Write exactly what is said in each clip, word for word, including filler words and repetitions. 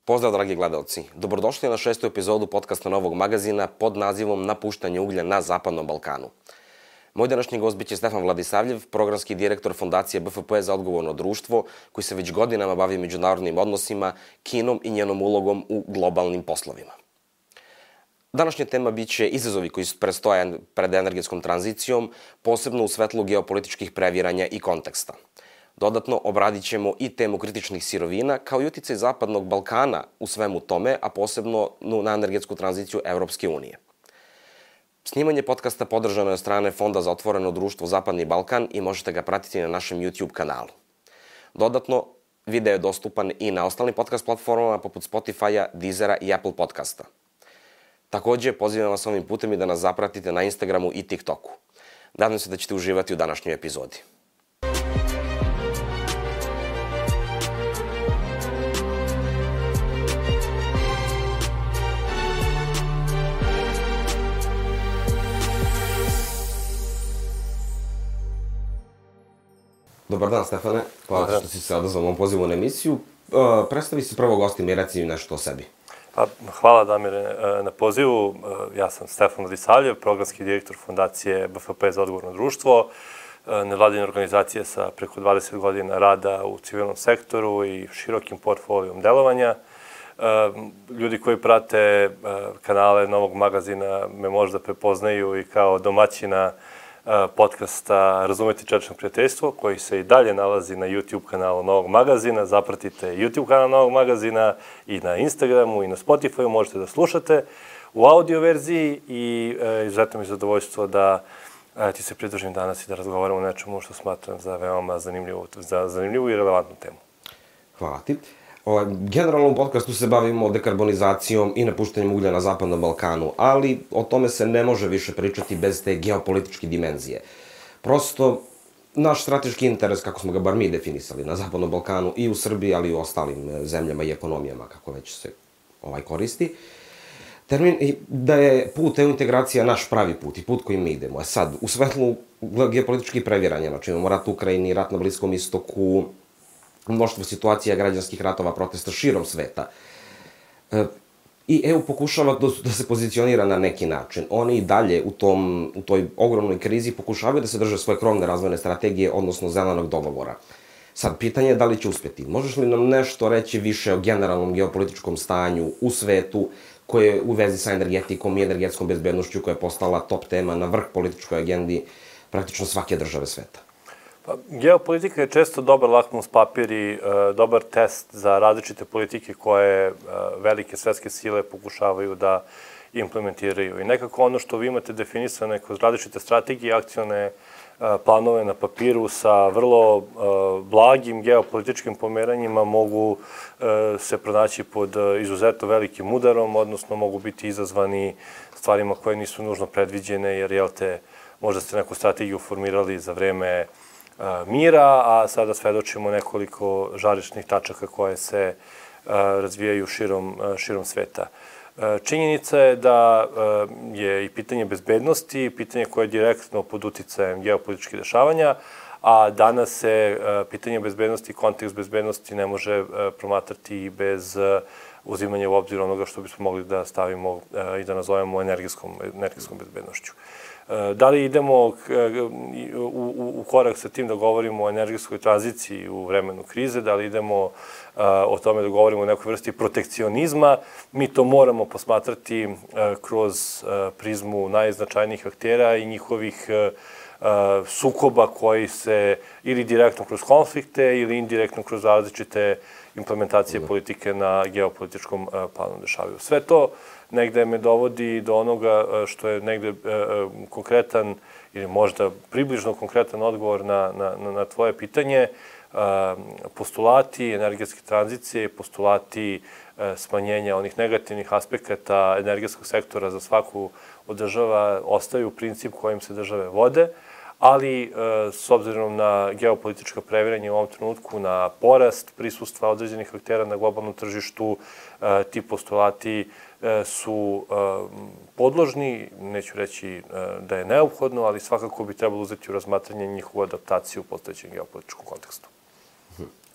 Pozdrav, dragi gledalci. Dobrodošli na šestu epizodu podcasta Novog magazina pod nazivom Napuštanje uglja na Zapadnom Balkanu. Moj današnji gost biće Stefan Vladisavljev, programski direktor Fondacije B F P za odgovorno društvo, koji se već godinama bavi međunarodnim odnosima, Kinom i njenom ulogom u globalnim poslovima. Današnja tema biće izazovi koji predstoje pred energetskom tranzicijom, posebno u svetlu geopolitičkih previranja i konteksta. Dodatno, obradit ćemo i temu kritičnih sirovina, kao i uticaj Zapadnog Balkana u svemu tome, a posebno na energetsku tranziciju Evropske unije. Snimanje podcasta podržano je od strane Fonda za otvoreno društvo Zapadni Balkan i možete ga pratiti na našem YouTube kanalu. Dodatno, video je dostupan i na ostalim podcast platformama poput Spotify-a, Deezera i Apple podcasta. Takođe, pozivam vas ovim putem i da nas zapratite na Instagramu i TikToku. Nadam se da ćete uživati u današnjoj epizodi. Dobar dan, Stefane. Hvala što si se odazvao ovom pozivu na emisiju. Predstavi se prvo gostima i reci nešto o sebi. Pa, hvala, Damire, na pozivu. Ja sam Stefan Vladisavljev, programski direktor Fondacije B F P za odgovorno društvo, nevladine organizacije sa preko dvadeset godina rada u civilnom sektoru i širokim portfolijom delovanja. Ljudi koji prate kanale Novog magazina me možda prepoznaju i kao domaćina podcasta Razumeti čelično prijateljstvo, koji se i dalje nalazi na YouTube kanalu Novog magazina. Zapratite YouTube kanal Novog magazina i na Instagramu i na Spotify, možete da slušate u audio verziji i izuzetno mi je zadovoljstvo da ti se pridružim danas i da razgovaramo o nečemu što smatram za veoma zanimljivu, za zanimljivu i relevantnu temu. Hvala ti. Generalno u podcastu se bavimo dekarbonizacijom i napuštanjem uglja na Zapadnom Balkanu, ali o tome se ne može više pričati bez te geopolitičke dimenzije. Prosto, naš strateški interes, kako smo ga bar mi definisali na Zapadnom Balkanu i u Srbiji, ali i u ostalim zemljama i ekonomijama, kako već se ovaj koristi, termin da je put EU integracija naš pravi put i put kojim mi idemo. A sad, u svetlu geopolitičkih previranja, znači imamo rat u Ukrajini, rat na Bliskom istoku, mnoštvo situacija građanskih ratova, protesta širom sveta. I E U pokušava da se pozicionira na neki način. Oni i dalje u, tom, u toj ogromnoj krizi pokušavaju da se drže svoje krovne razvojne strategije, odnosno zelenog dogovora. Sad, pitanje je da li će uspjeti. Možeš li nam nešto reći više o generalnom geopolitičkom stanju u svetu, koje je u vezi sa energetikom i energetskom bezbednošću, koja je postala top tema na vrh političkoj agendi praktično svake države sveta? Pa, geopolitika je često dobar lakmus papir i dobar test za različite politike koje velike svetske sile pokušavaju da implementiraju. I nekako ono što vi imate definisane kroz različite strategije i akcione planove na papiru sa vrlo blagim geopolitičkim pomeranjima mogu se pronaći pod izuzetno velikim udarom, odnosno mogu biti izazvani stvarima koje nisu nužno predviđene, jer, jel te, možda ste neku strategiju formirali za vreme mira, a sada svedočimo nekoliko žarišnih tačaka koje se razvijaju širom, širom sveta. Činjenica je da je i pitanje bezbednosti, pitanje koje je direktno pod uticajem geopolitičkih dešavanja, a danas se pitanje bezbednosti i kontekst bezbednosti ne može promatrati bez uzimanja u obzir onoga što bismo mogli da stavimo i da nazovemo energetskom, energetskom bezbednošću. Da li idemo u korak sa tim da govorimo o energetskoj tranziciji u vremenu krize, da li idemo o tome da govorimo o nekoj vrsti protekcionizma, mi to moramo posmatrati kroz prizmu najznačajnijih aktera i njihovih sukoba koji se ili direktno kroz konflikte ili indirektno kroz različite implementacije politike na geopolitičkom planu dešavaju. Sve to negde me dovodi do onoga što je negde konkretan ili možda približno konkretan odgovor na, na, na tvoje pitanje. Postulati energetske tranzicije, postulati smanjenja onih negativnih aspekata energetskog sektora za svaku od država ostaju princip kojim se države vode, ali s obzirom na geopolitička previranja u ovom trenutku, na porast prisustva određenih aktera na globalnom tržištu, ti postulati su podložni, neću reći da je neophodno, ali svakako bi trebalo uzeti u razmatranje njihovu adaptaciju u postojećem geopolitičkom kontekstu.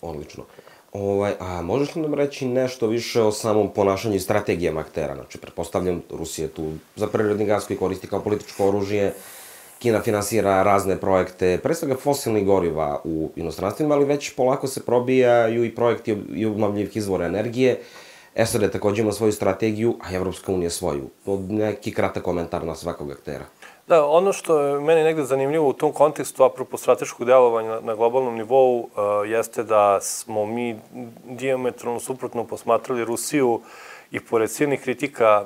Odlično. Ovaj, a možeš li nam reći nešto više o samom ponašanju i strategijama aktera? Znači, pretpostavljam, Rusija je tu za prirodni gas koji koristi kao političko oružje, Kina finansira razne projekte, pre svega fosilnih goriva u inostranstvima, ali već polako se probijaju i projekti i obnovljivih izvora energije. S A D takođe ima svoju strategiju, a Evropska unija svoju. Neki kratak komentar na svakog aktera. Da, ono što je meni negde zanimljivo u tom kontekstu, apropo strateškog delovanja na globalnom nivou, jeste da smo mi diametralno suprotno posmatrali Rusiju i pored silnih kritika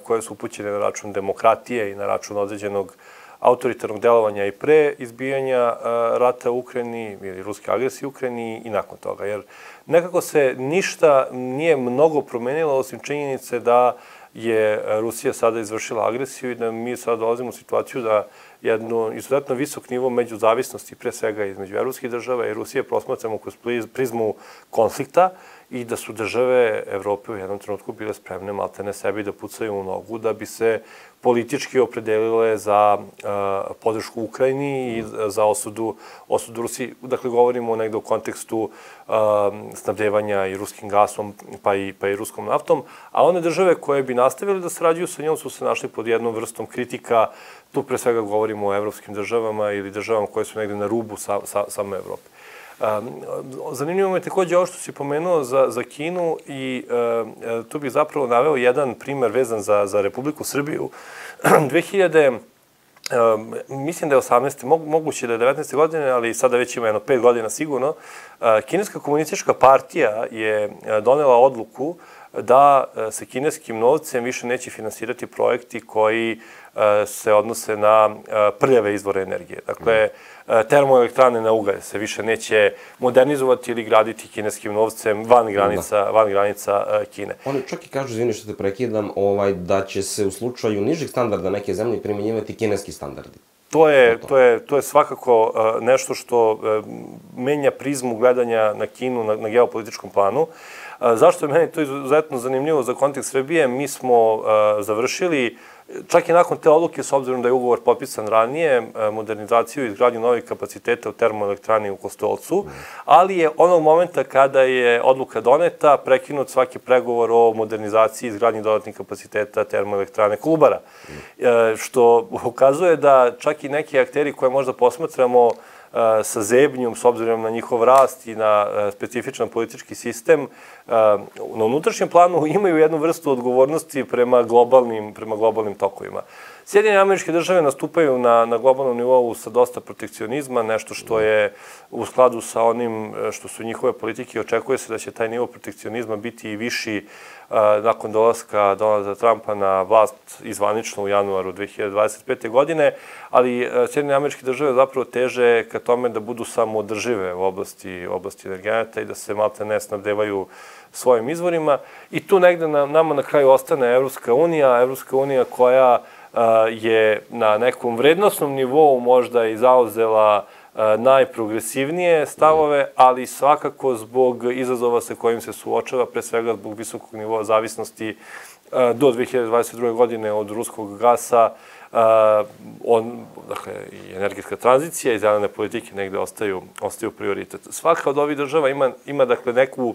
koje su upućene na račun demokratije i na račun određenog autoritarnog delovanja i pre izbijanja rata u Ukrajini ili ruske agresije u Ukrajini i nakon toga. Jer nekako se ništa nije mnogo promenilo osim činjenice da je Rusija sada izvršila agresiju i da mi sada dolazimo u situaciju da jedno izuzetno visok nivo međuzavisnosti, pre svega između evropskih država i Rusije, prosmatramo kroz prizmu konflikta i da su države Evrope u jednom trenutku bile spremne maltene sebi da pucaju u nogu da bi se politički opredelile za podršku Ukrajini i za osudu, osudu Rusiji. Dakle, govorimo negde u kontekstu snabdevanja i ruskim gasom, pa i, pa i ruskom naftom, a one države koje bi nastavili da sarađuju sa njom su se našli pod jednom vrstom kritika. Tu pre svega govorimo o evropskim državama ili državama koje su negde na rubu sa, sa, same Evrope. Zanimljivo me takođe ovo što si pomenuo za, za Kinu i e, tu bih zapravo naveo jedan primer vezan za, za Republiku Srbiju. dve hiljade, e, mislim da je osamnaeste, moguće da je devetnaeste godine, ali sada već ima jedno pet godina sigurno, e, Kineska komunistička partija je donela odluku da se kineskim novcem više neće finansirati projekti koji se odnose na prljave izvore energije. Dakle, termoelektrane na ugalj se više neće modernizovati ili graditi kineskim novcem van granica, van granica Kine. Oni čak i kažu, izvini što te prekidam, ovaj, da će se u slučaju nižih standarda neke zemlje primjenjivati kineski standardi. To je, to je, to je svakako nešto što menja prizmu gledanja na Kinu na, na geopolitičkom planu. Zašto je meni to izuzetno zanimljivo za kontekst Srbije? Mi smo završili, čak i nakon te odluke, s obzirom da je ugovor potpisan ranije, modernizaciju i izgradnju novih kapaciteta u termoelektrani u Kostolcu, ali je onog momenta kada je odluka doneta, prekinut svaki pregovor o modernizaciji i izgradnji dodatnih kapaciteta termoelektrane Kolubara. Što ukazuje da čak i neki akteri koje možda posmatramo sa zebnjom, s obzirom na njihov rast i na specifičan politički sistem, na unutrašnjem planu imaju jednu vrstu odgovornosti prema globalnim, prema globalnim tokovima. Sjedinjene Američke Države nastupaju na, na globalnom nivou sa dosta protekcionizma, nešto što je u skladu sa onim što su njihove politike. Očekuje se da će taj nivo protekcionizma biti i viši nakon dolaska Donalda Trumpa na vlast izvanično u januaru dve hiljade dvadeset pete. godine, ali Sjedinjene Američke Države zapravo teže ka tome da budu samoodržive u oblasti, oblasti energenata i da se malte ne snabdevaju svojim izvorima. I tu negde na, nama na kraju ostane Evropska unija, Evropska unija koja je na nekom vrednostnom nivou možda i zauzela najprogresivnije stavove, ali svakako zbog izazova sa kojim se suočava, pre svega zbog visokog nivoa zavisnosti do dve hiljade dvadeset druge. godine od ruskog gasa, on, dakle, i energetska tranzicija i zelene politike negde ostaju, ostaju prioritet. Svaka od ovih država ima, ima dakle, neku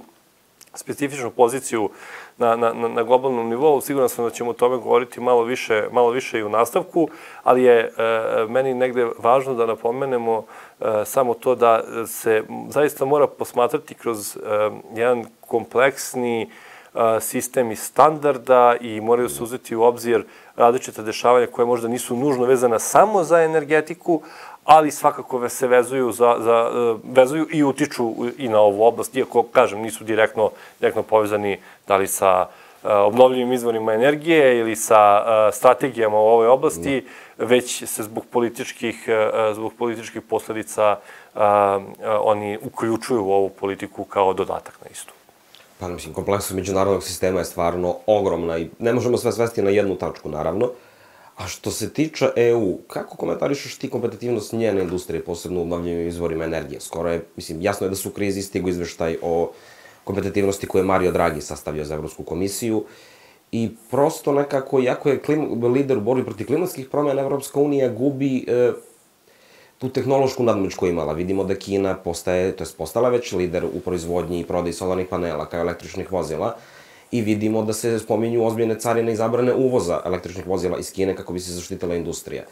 specifičnu poziciju na, na, na globalnom nivou. Siguran sam da ćemo o tome govoriti malo više, malo više i u nastavku, ali je e, meni negde važno da napomenemo e, samo to da se zaista mora posmatrati kroz e, jedan kompleksni e, sistem i standarda i moraju se uzeti u obzir različite dešavanja koje možda nisu nužno vezana samo za energetiku, ali svakako se vezuju, za, za, vezuju i utiču i na ovu oblast, iako, kažem, nisu direktno, direktno povezani da li sa obnovljivim izvorima energije ili sa strategijama u ovoj oblasti, već se zbog političkih, zbog političkih posledica oni uključuju u ovu politiku kao dodatak na istu. Pa, mislim, kompleksnost međunarodnog sistema je stvarno ogromna i ne možemo sve svesti na jednu tačku, naravno. A što se tiče E U, kako komentarišeš ti kompetitivnost njene industrije, posebno u obnovljivim izvorima energije? Skoro je, mislim, jasno je da su u krizi, stigu izveštaj o kompetitivnosti koje je Mario Draghi sastavio za Evropsku komisiju i prosto nekako, iako je klim, lider u borbi protiv klimatskih promjena, Evropska unija gubi e, tu tehnološku nadmoć koju imala. Vidimo da Kina postaje, to je postala već lider u proizvodnji i prodaji solarnih panela kao električnih vozila i vidimo da se spominju ozbiljne carine i zabrane uvoza električnih vozila iz Kine kako bi se zaštitila industrija.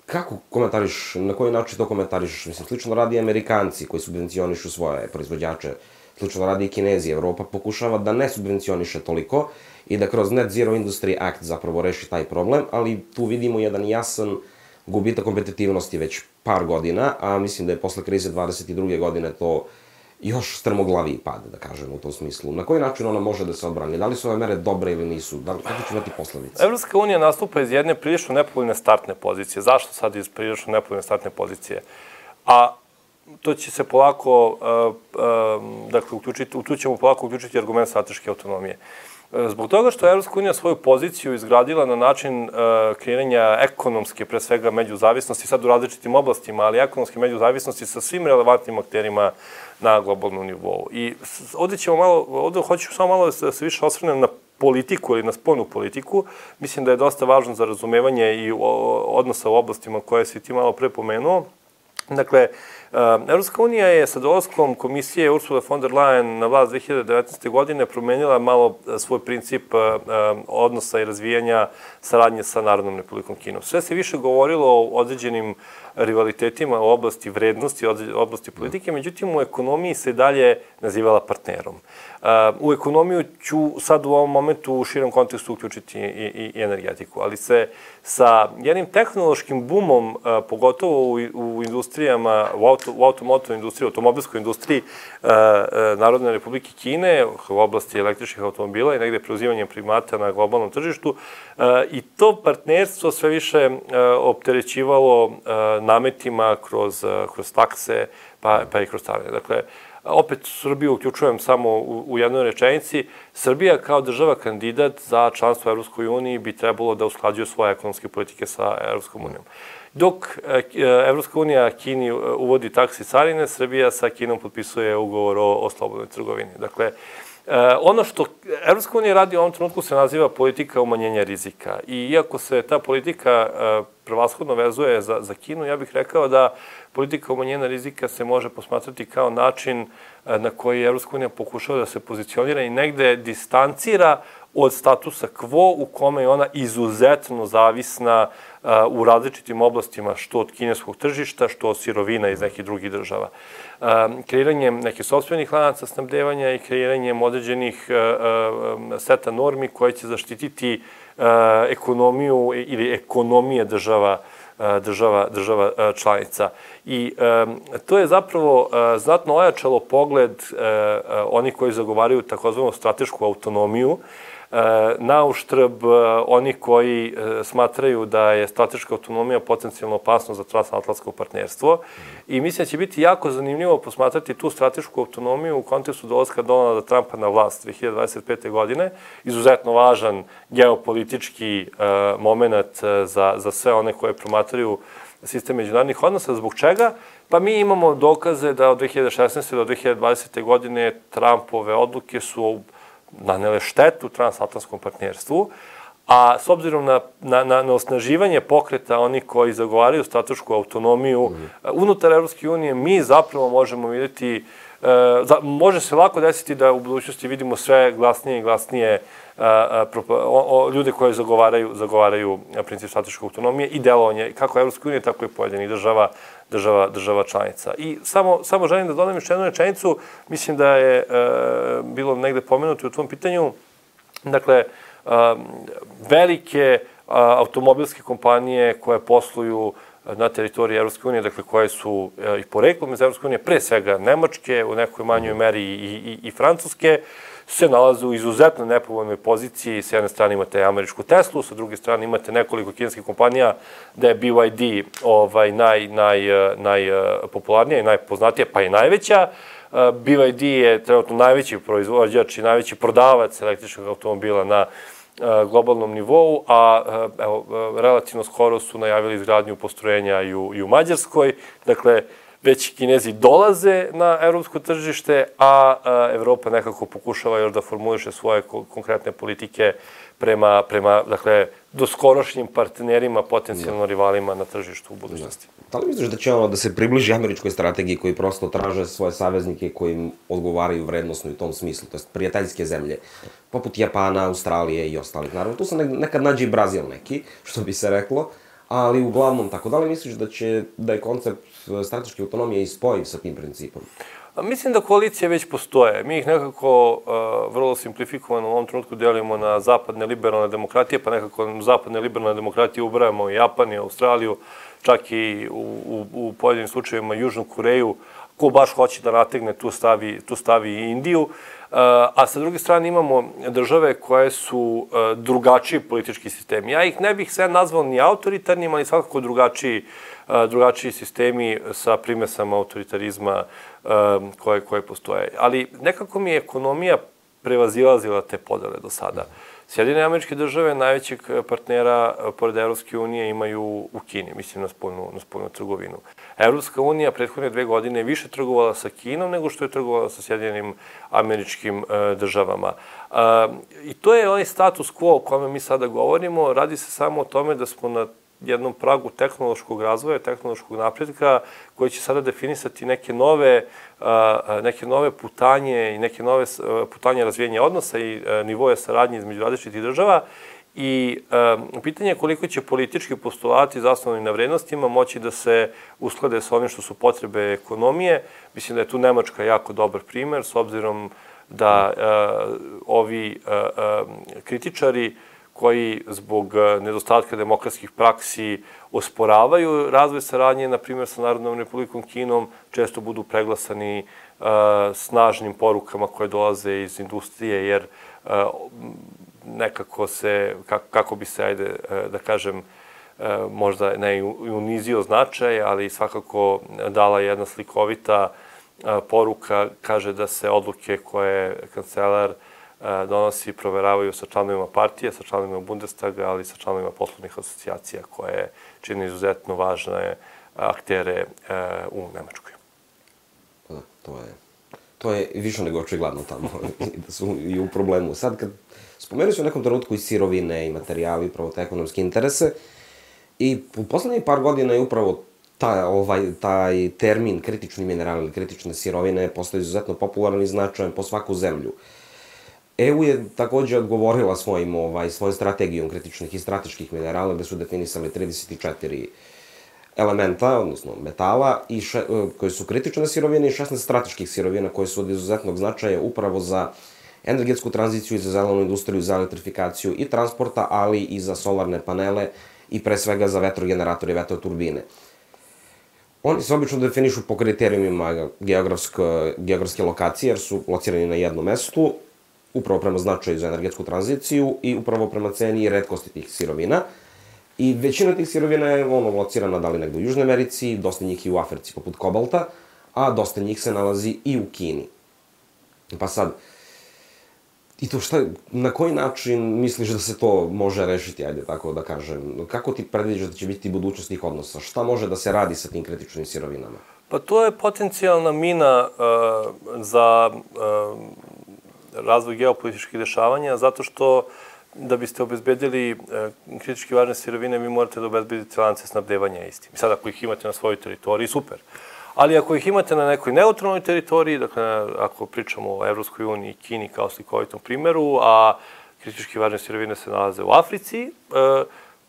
Kako komentariš, na koji način to komentariš? Mislim, slično radi i Amerikanci koji subvencionišu svoje proizvođače, slično radi i Kinezi. Evropa pokušava da ne subvencioniše toliko i da kroz Net Zero Industry Act zapravo reši taj problem, ali tu vidimo jedan jasan gubitak kompetitivnosti već par godina, a mislim da je posle krize dvadeset druge godine to još strmoglaviji pad, da kažem, u tom smislu. Na koji način ona može da se odbrani? Da li su ove mere dobre ili nisu? Da li, kako će imati posledice? Evropska unija nastupa iz jedne prilično nepovoljne startne pozicije. Zašto sad iz prilično nepovoljne startne pozicije? A to će se polako, uh, uh, dakle, uključiti, tu ćemo polako uključiti argument strateške autonomije. Zbog toga što je Evropska unija svoju poziciju izgradila na način uh, kreiranja ekonomske, pre svega, međuzavisnosti, sad u različitim oblastima, ali ekonomske međuzavisnosti sa svim relevantnim akterima na globalnom nivou. I ovde ćemo malo, ovde hoću samo malo da se više osvrnem na politiku ili na spoljnu politiku. Mislim da je dosta važno za razumevanje i odnosa u oblastima koje si ti malo pre pomenuo. Dakle, Evropska unija je sa dolaskom komisije Ursula von der Leyen na vlast dve hiljade devetnaeste. godine promenila malo svoj princip odnosa i razvijanja saradnje sa Narodnom Republikom Kinom. Sve se više govorilo o određenim rivalitetima u oblasti vrednosti, u oblasti politike, međutim u ekonomiji se dalje nazivala partnerom. U ekonomiju ću sad u ovom momentu u širem kontekstu uključiti i, i energetiku, ali se sa jednim tehnološkim bumom, pogotovo u, u industrijama, u, auto, u automotovoj industriji, automobilskoj industriji Narodne Republike Kine, u oblasti električnih automobila i negde preuzimanjem primata na globalnom tržištu, i to partnerstvo sve više opterećivalo nametima kroz, kroz takse, pa, pa i kroz carine. Dakle, opet Srbiju uključujem samo u, u jednoj rečenici. Srbija kao država kandidat za članstvo u Evropskoj uniji bi trebalo da usklađuje svoje ekonomske politike sa Evropskom unijom. Dok Evropska unija Kini uvodi takse i carine, Srbija sa Kinom potpisuje ugovor o, o slobodnoj trgovini. Dakle, ono što Evropska unija radi u ovom trenutku se naziva politika umanjenja rizika. I iako se ta politika prevashodno vezuje za, za Kinu, ja bih rekao da politika umanjenja rizika se može posmatrati kao način na koji Evropska unija pokušava da se pozicionira i negde distancira od statusa quo u kome je ona izuzetno zavisna u različitim oblastima, što od kineskog tržišta, što od sirovina iz nekih drugih država. Kreiranjem nekih sopstvenih lanaca snabdevanja i kreiranjem određenih seta normi koje će zaštititi ekonomiju ili ekonomije država država, država članica. I to je zapravo znatno ojačalo pogled onih koji zagovaraju takozvanu stratešku autonomiju, na uštrb onih koji smatraju da je strateška autonomija potencijalno opasno za transatlantsko partnerstvo. I mislim da će biti jako zanimljivo posmatrati tu stratešku autonomiju u kontekstu dolaska Donalda Trumpa na vlast dve hiljade dvadeset pete. godine. Izuzetno važan geopolitički moment za, za sve one koje promatraju sistem međunarodnih odnosa. Zbog čega? Pa mi imamo dokaze da od dve hiljade šesnaeste. do dve hiljade dvadesete. godine Trumpove odluke su nanele štetu transatlantskom partnerstvu, a s obzirom na, na, na osnaživanje pokreta onih koji zagovaraju stratešku autonomiju mm. unutar Evropske unije, mi zapravo možemo vidjeti, e, za, može se lako desiti da u budućnosti vidimo sve glasnije i glasnije a, a, o, o, ljude koji zagovaraju, zagovaraju princip strateške autonomije i delovanje kako Evropske unije, tako i pojedinih država, država, država članica. I samo, samo želim da dodam još jednu rečenicu, mislim da je e, bilo negde pomenuto u tvom pitanju, dakle, a, velike a, automobilske kompanije koje posluju na teritoriji Evropske unije, dakle koje su i poreklom iz Evropske unije, pre svega Nemačke, u nekoj manjoj meri i, i, i Francuske, se nalaze u izuzetno nepovoljnoj poziciji. S jedne strane imate američku Teslu, sa druge strane imate nekoliko kineskih kompanija da je B Y D ovaj, naj, naj, najpopularnija i najpoznatija, pa i najveća. B Y D je trenutno najveći proizvođač i najveći prodavac električnog automobila na globalnom nivou, a evo, relativno skoro su najavili izgradnju postrojenja i u, i u Mađarskoj. Dakle, već Kinezi dolaze na evropsko tržište, a Evropa nekako pokušava još da formuliše svoje konkretne politike prema, prema dakle, doskorošnjim partnerima, potencijalno rivalima na tržištu u budućnosti. Da li misliš da će ono da se približi američkoj strategiji koji prosto traže svoje saveznike koji im odgovaraju vrednostno u tom smislu, to jest prijateljske zemlje, poput Japana, Australije i ostalih. Naravno, tu se nekad nađe i Brazil neki, što bi se reklo, ali uglavnom tako. Da li misliš da će, da je koncept strateške autonomije i spojiv sa tim principom? Mislim da koalicije već postoje. Mi ih nekako uh, vrlo simplifikovano u ovom trenutku delimo na zapadne liberalne demokratije, pa nekako na zapadne liberalne demokratije ubrajamo i Japan i Australiju, čak i u, u, u pojedinim slučajevima Južnu Koreju. Ko baš hoće da nategne, tu stavi, tu stavi i Indiju. Uh, a sa druge strane imamo države koje su uh, drugačiji politički sistemi. Ja ih ne bih sve nazvao ni autoritarnim, ali svakako drugačiji, uh, drugačiji sistemi sa primesama autoritarizma uh, koje, koje postoje. Ali nekako mi je ekonomija prevazilazila te podele do sada. Sjedinjene Američke Države najvećeg partnera pored Evropske unije imaju u Kini, mislim na spoljnu, na spoljnu trgovinu. Evropska unija prethodne dve godine više trgovala sa Kinom nego što je trgovala sa Sjedinjenim Američkim Državama. I to je onaj status quo o kome mi sada govorimo. Radi se samo o tome da smo na jednom pragu tehnološkog razvoja, tehnološkog napretka, koji će sada definisati neke nove, neke nove putanje i neke nove putanje razvijenja odnosa i nivoje saradnje između različitih država. I pitanje je koliko će politički postulati zasnovani na vrednostima moći da se usklade sa onim što su potrebe ekonomije. Mislim da je tu Nemačka jako dobar primer, s obzirom da ovi kritičari koji zbog nedostatka demokratskih praksi osporavaju razvoj saradnje, na primjer sa Narodnom Republikom Kinom, često budu preglasani uh, snažnim porukama koje dolaze iz industrije, jer uh, nekako se, kako, kako bi se, ajde, uh, da kažem, uh, možda ne unizio značaj, ali svakako dala jedna slikovita uh, poruka, kaže da se odluke koje kancelar donosi i proveravaju sa članovima partije, sa članovima Bundestaga, ali i sa članovima poslovnih asocijacija koje čine izuzetno važne aktere u Nemačkoj. Da, to je, to je više nego očigledno tamo, da su i u problemu. Sad, kad spomenuo su u nekom trenutku i sirovine i materijali, upravo te ekonomske interese, i u poslednjih par godina je upravo taj, ovaj, taj termin kritični minerali ili kritične sirovine postao izuzetno popularan i značajan po svaku zemlju. E U je takođe odgovorila svojim, ovaj, svojom strategijom kritičnih i strateških minerala, gde su definisali trideset četiri elementa, odnosno metala, i še, koje su kritične sirovine i šesnaest strateških sirovina koje su od izuzetnog značaja upravo za energetsku tranziciju i za zelenu industriju, za elektrifikaciju i transporta, ali i za solarne panele i pre svega za vetrogeneratore i vetroturbine. Oni se obično definišu po kriterijumima geografske lokacije, jer su locirani na jednom mestu, upravo prema značaju za energetsku tranziciju i upravo prema ceni i retkosti tih sirovina. I većina tih sirovina je ono locirana da li negde u Južnoj Americi, dosta njih i u Africi poput kobalta, a dosta njih se nalazi i u Kini. Pa sad, i to šta, na koji način misliš da se to može rešiti, ajde tako da kažem? Kako ti predviđaš da će biti budućnost tih odnosa? Šta može da se radi sa tim kritičnim sirovinama? Pa to je potencijalna mina uh, za uh, razvoj geopolitičkih dešavanja, zato što da biste obezbedili uh, kritički važne sirovine, vi morate da obezbedite lance snabdevanja istim. I sad ako ih imate na svojoj teritoriji, super. Ali ako ih imate na nekoj neutralnoj teritoriji, dakle, ako pričamo o Evropskoj uniji i Kini kao slikovitom primeru, a kritički važne sirovine se nalaze u Africi,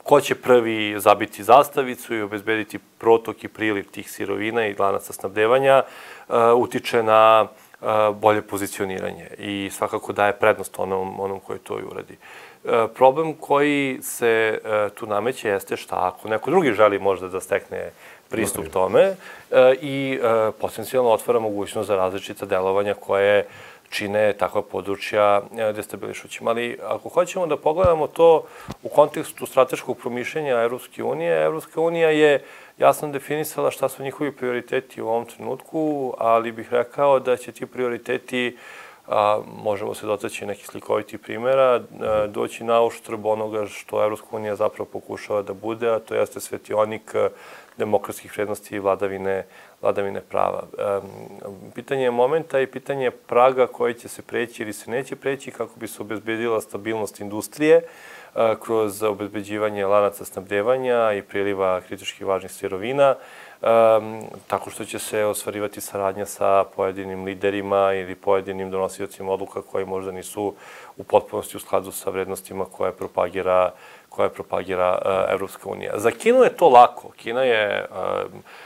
ko će prvi zabiti zastavicu i obezbediti protok i priliv tih sirovina i lanaca snabdevanja, utiče na bolje pozicioniranje i svakako daje prednost onom, onom koji to i uradi. Problem koji se tu nameće jeste šta ako neko drugi želi možda da stekne pristup tome i potencijalno otvara mogućnost za različita delovanja koje čine takva područja destabilišućima. Ali ako hoćemo da pogledamo to u kontekstu strateškog promišljenja Evropske unije, Evropska unija je jasno definisala šta su njihovi prioriteti u ovom trenutku, ali bih rekao da će ti prioriteti, a, možemo se dotaći nekih slikovitih primjera, a, doći na uštrb onoga što Evropska unija zapravo pokušava da bude, a to jeste svetionik demokratskih vrednosti i vladavine, vladavine prava. E, pitanje je momenta i pitanje je praga koji će se preći ili se neće preći kako bi se obezbedila stabilnost industrije a, kroz obezbeđivanje lanaca snabdevanja i priliva kritički važnih sirovina. tako što će se ostvarivati saradnja sa pojedinim liderima ili pojedinim donosiocima odluka koji možda nisu u potpunosti u skladu sa vrednostima koje propagira koje propagira Evropska unija. Za Kinu je to lako. Kina je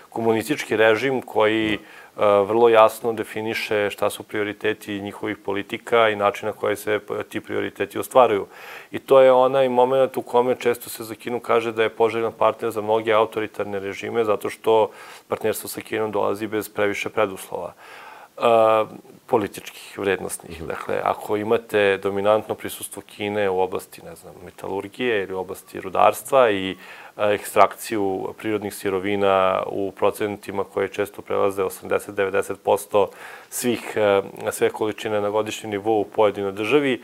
komunistički režim koji vrlo jasno definiše šta su prioriteti njihovih politika i način na koje se ti prioriteti ostvaruju. I to je onaj moment u kome često se za Kinu kaže da je poželjan partner za mnoge autoritarne režime, zato što partnerstvo sa Kinom dolazi bez previše preduslova. Političkih, vrednostnih. Dakle, ako imate dominantno prisustvo Kine u oblasti, ne znam, metalurgije ili u oblasti rudarstva i ekstrakciju prirodnih sirovina u procentima koje često prelaze osamdeset do devedeset posto svih, sve količine na godišnjem nivou u pojedinoj državi,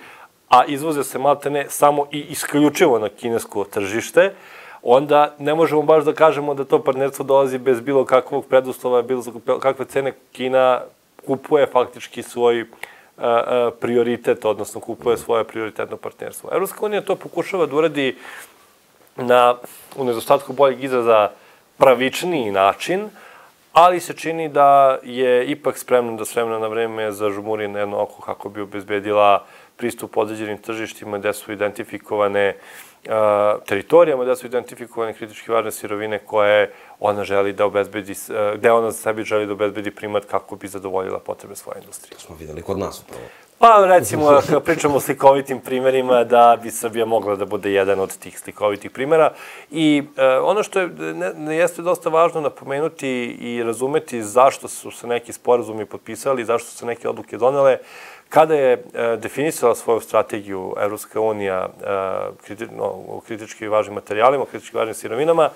a izvoze se maltene samo i isključivo na kinesko tržište, onda ne možemo baš da kažemo da to partnerstvo dolazi bez bilo kakvog preduslova, bilo kakve cene. Kina kupuje faktički svoj prioritet, odnosno kupuje svoje prioritetno partnerstvo. Evropska unija to pokušava da uradi na, u nedostatku boljeg izraza, pravičniji način, ali se čini da je ipak spremna da s vremena na vreme zažmuri na jedno oko kako bi obezbedila pristup određenim tržištima gde su identifikovane teritorijama, gde su identifikovane kritički važne sirovine koje ona želi da obezbedi, gde ona za sebi želi da obezbedi primat kako bi zadovoljila potrebe svoje industrije. To smo videli kod nas upravo. Pa recimo, kada pričamo o slikovitim primerima, da bi Srbija mogla da bude jedan od tih slikovitih primera. I ono što je, ne, jeste dosta važno napomenuti i razumeti zašto su se neki sporazumi potpisali, zašto su se neke odluke donele. Kada je definisala svoju strategiju Evropska unija o kritički važnim materijalima, o kritički važnim sirovinama,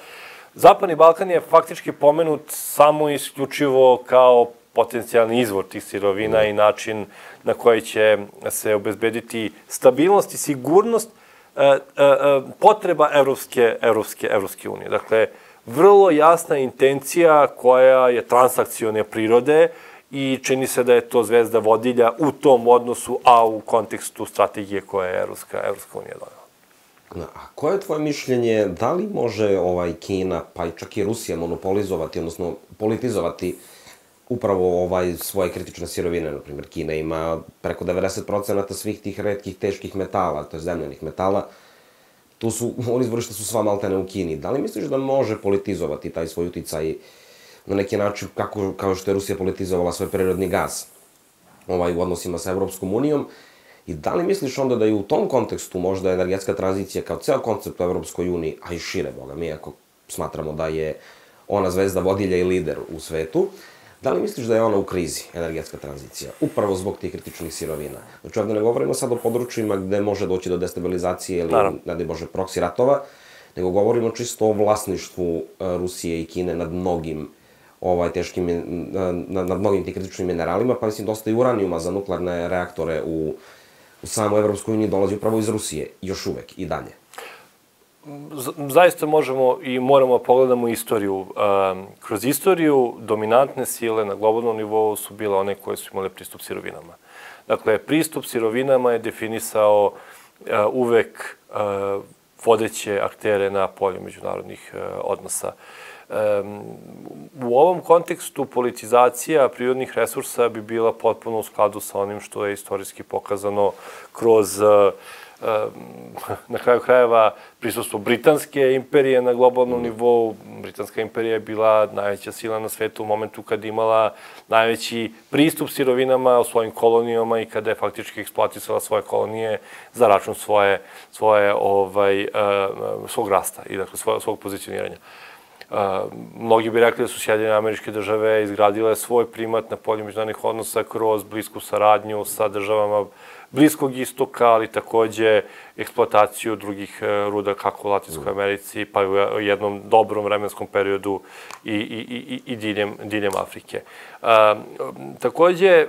Zapadni Balkan je faktički pomenut samo isključivo kao potencijalni izvor tih sirovina i način na koji će se obezbediti stabilnost i sigurnost potreba Evropske, Evropske, Evropske unije. Dakle, vrlo jasna intencija koja je transakcione prirode i čini se da je to zvezda vodilja u tom odnosu, a u kontekstu strategije koje je Evropska, Evropska unija donela. A koje je tvoje mišljenje, da li može ovaj Kina, pa i čak i Rusija monopolizovati, odnosno politizovati upravo ovaj svoje kritične sirovine? Naprimjer, Kina ima preko devedeset procenata svih tih retkih, teških metala, to je zemljanih metala. Tu su, oni izvorišta su sva maltene u Kini. Da li misliš da može politizovati taj svoj uticaj na neki način, kako, kao što je Rusija politizovala svoj prirodni gas ovaj, u odnosima sa Evropskom unijom? I da li misliš onda da i u tom kontekstu možda energetska tranzicija kao ceo koncept u Evropskoj uniji, a i šire, boga mi, ako smatramo da je ona zvezda vodilja i lider u svetu, da li misliš da je ona u krizi, energetska tranzicija, upravo zbog tih kritičnih sirovina? Znači, ovde ne govorimo sad o područjima gde može doći do destabilizacije ili, ne daj Bože, proksi ratova, nego govorimo čisto o vlasništvu Rusije i Kine nad mnogim ovaj, teškim, nad, nad mnogim tih kritičnim mineralima, pa mislim dosta i uranijuma za nuklearne reaktore u, u samoj Evropskoj uniji dolazi upravo iz Rusije, još uvek i dalje. Zaista možemo i moramo pogledamo istoriju. Kroz istoriju dominantne sile na globalnom nivou su bile one koje su imale pristup sirovinama. Dakle, pristup sirovinama je definisao uvek vodeće aktere na polju međunarodnih odnosa. U ovom kontekstu politizacija prirodnih resursa bi bila potpuno u skladu sa onim što je istorijski pokazano kroz, na kraju krajeva, prisustvo Britanske imperije na globalnom nivou. Britanska imperija je bila najveća sila na svetu u momentu kad imala najveći pristup sirovinama u svojim kolonijama i kada je faktički eksploatisala svoje kolonije za račun svoje, svoje, ovaj, svog rasta i dakle svog, svog pozicioniranja. Uh, mnogi bi rekli da su Sjedinjene Američke Države izgradile svoj primat na polju međunarodnih odnosa kroz blisku saradnju sa državama Bliskog istoka, ali takođe eksploataciju drugih ruda kako u Latinskoj Americi, pa i u jednom dobrom vremenskom periodu i, i, i, i diljem, diljem Afrike. Uh, takođe,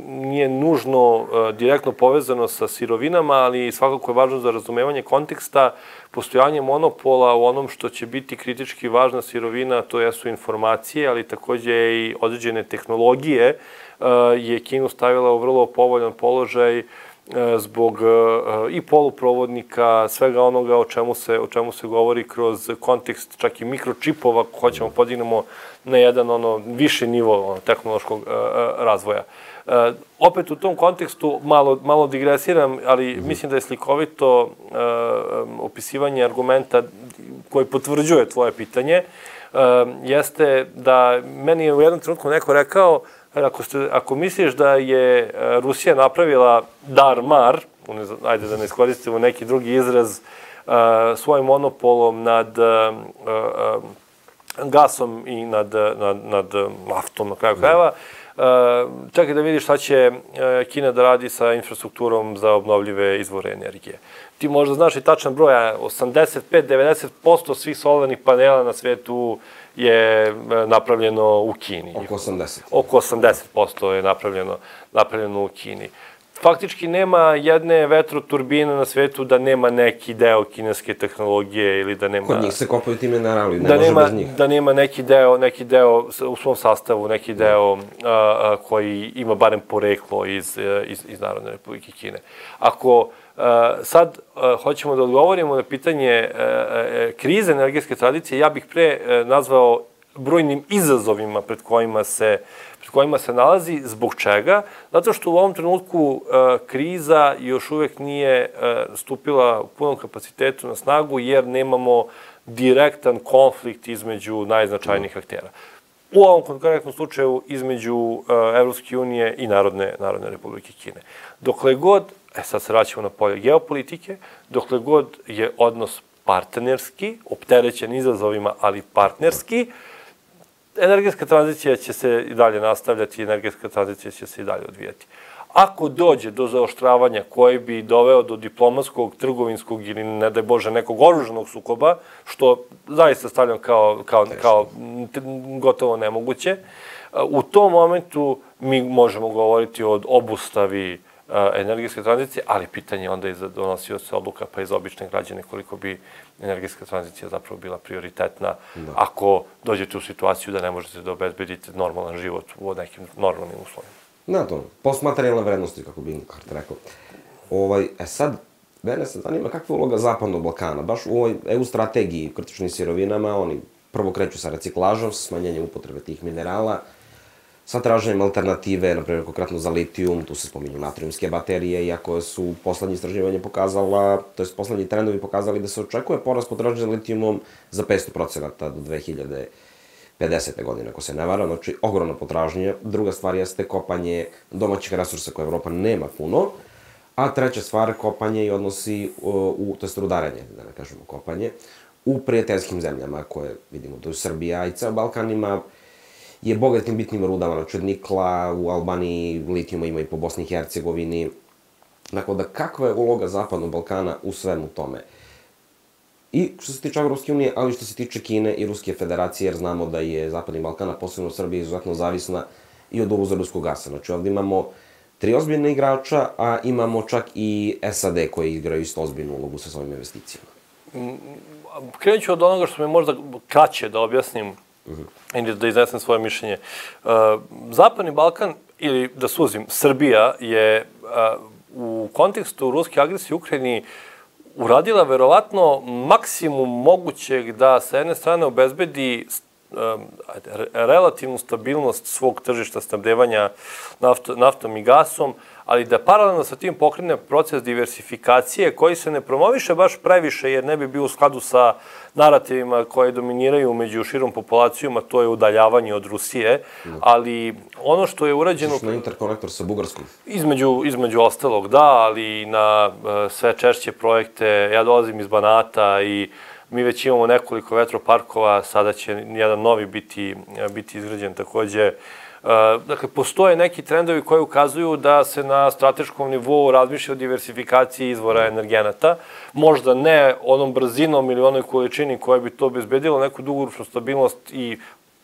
nije nužno uh, direktno povezano sa sirovinama, ali svakako je važno za razumevanje konteksta postojanje monopola u onom što će biti kritički važna sirovina, to jesu informacije, ali takođe i određene tehnologije, je Kinu stavila u vrlo povoljan položaj zbog i poluprovodnika, svega onoga o čemu se, o čemu se govori kroz kontekst čak i mikročipova, ako hoćemo podignemo na jedan ono viši nivo ono, tehnološkog razvoja. Opet u tom kontekstu malo, malo digresiram, ali mislim da je slikovito opisivanje argumenta koji potvrđuje tvoje pitanje, jeste da meni je u jednom trenutku neko rekao Ako, ste, ako misliš da je Rusija napravila dar-mar, ajde da ne iskoristimo neki drugi izraz, svojim monopolom nad gasom i nad, nad, nad naftom na kraju krajeva, čekaj da vidiš šta će Kina da radi sa infrastrukturom za obnovljive izvore energije. Ti možda znaš i tačan broj, osamdeset pet do devedeset posto svih solarnih panela na svetu je napravljeno u Kini. Oko osamdeset. Oko osamdeset posto je napravljeno, napravljeno u Kini. Faktički nema jedne vetroturbine na svetu da nema neki deo kineske tehnologije ili da nema... Kod njih se kopaju ti minerali, ne da može nema, bez njih. Da nema neki deo, neki deo u svom sastavu, neki deo a, a, koji ima barem poreklo iz, iz, iz Narodne Republike Kine. Ako a, sad a, hoćemo da odgovorimo na pitanje a, a, krize energetske tradicije, ja bih pre a, nazvao brojnim izazovima pred kojima se pred kojima se nalazi. Zbog čega? Zato što u ovom trenutku e, kriza još uvek nije e, stupila u punom kapacitetu na snagu, jer nemamo direktan konflikt između najznačajnijih aktera. U ovom konkretnom slučaju između e, Evropske unije i Narodne, Narodne Republike Kine. Dokle god, e sad se vraćamo na polje geopolitike, dokle god je odnos partnerski, opterećen izazovima, ali partnerski, energetska tranzicija će se i dalje nastavljati, energetska tranzicija će se i dalje odvijati. Ako dođe do zaoštravanja koji bi doveo do diplomatskog, trgovinskog ili, ne daj Bože, nekog oružanog sukoba, što zaista stavljam kao, kao, kao gotovo nemoguće, u tom momentu mi možemo govoriti o obustavi energetske tranzicije, ali pitanje onda i za donosioce odluka, pa i za obične građane, koliko bi energetska tranzicija zapravo bila prioritetna da. Ako dođete u situaciju da ne možete da obezbedite normalan život u nekim normalnim uslovima. Da, to, postmaterijalne vrednosti, kako bi Inkart rekao. Ovaj, e sad, mene se zanima kakva je uloga Zapadnog Balkana. Baš u ovoj E U strategiji kritičnim sirovinama, oni prvo kreću sa reciklažom, sa smanjenjem upotrebe tih minerala, sa traženjem alternative, na primjer, konkretno za litijum, tu se spominju natrijumske baterije, iako su poslednje istraživanje pokazala, to je poslednji trendovi pokazali da se očekuje porast potražnje za litijumom za petsto procenata do dve hiljade pedesete godine, ako se ne varam, znači ogromna potražnja. Druga stvar jeste kopanje domaćih resursa koje Evropa nema puno, a treća stvar, kopanje i odnosi, u, to je rudarenje, da ne kažemo kopanje, u prijateljskim zemljama koje vidimo, to je Srbija i ceo Balkan ima je bogatim bitnim rudama, znači od nikla, u Albaniji, litijuma ima i po Bosni i Hercegovini. Dakle, da kakva je uloga Zapadnog Balkana u svemu tome? I što se tiče Evropske unije, ali što se tiče Kine i Ruske federacije, jer znamo da je Zapadni Balkan, a posebno Srbija, izuzetno zavisna i od uvoza ruskog gasa. Znači, ovdje imamo tri ozbiljne igrača, a imamo čak i S A D koji igraju isto ozbiljnu ulogu sa svojim investicijama. Krenut ću od onoga što mi možda kraće da objasnim, i da iznesem svoje mišljenje. Zapadni Balkan, ili da suzim, Srbija je u kontekstu ruske agresije u Ukrajini uradila verovatno maksimum mogućeg da sa jedne strane obezbedi relativnu stabilnost svog tržišta snabdevanja naftom i gasom, ali da paralelno sa tim pokrene proces diversifikacije koji se ne promoviše baš previše, jer ne bi bio u skladu sa narativima koje dominiraju među širom populacijom, a to je udaljavanje od Rusije, ali ono što je urađeno... Išli na interkonektor sa Bugarskom? Između, između ostalog, da, ali na sve češće projekte. Ja dolazim iz Banata i mi već imamo nekoliko vetroparkova, sada će jedan novi biti, biti izgrađen takođe. Dakle, postoje neki trendovi koji ukazuju da se na strateškom nivou razmišlja o diversifikaciji izvora energenata. Možda ne onom brzinom ili onoj količini koja bi to obezbedilo neku dugoročnu stabilnost i,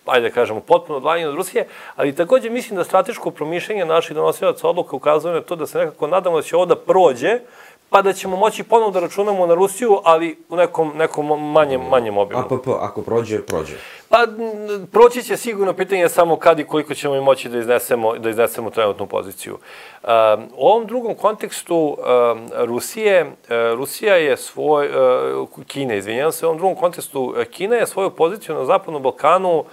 ajde da kažemo, potpuno odvajanje od Rusije, ali takođe mislim da strateško promišljanje naših donosilaca odluka ukazuje na to da se nekako nadamo da će ovo da prođe pa da ćemo moći ponovno da računamo na Rusiju, ali u nekom, nekom manjem, manjem obimu. A P P, ako prođe, prođe. Pa, proći će sigurno, pitanje samo kad i koliko ćemo i moći da iznesemo, da iznesemo trenutnu poziciju. Um, u ovom drugom kontekstu um, Rusije, uh, Rusija je svoj, uh, Kine, izvinjam se, u ovom drugom kontekstu Kina je svoju poziciju na Zapadnom Balkanu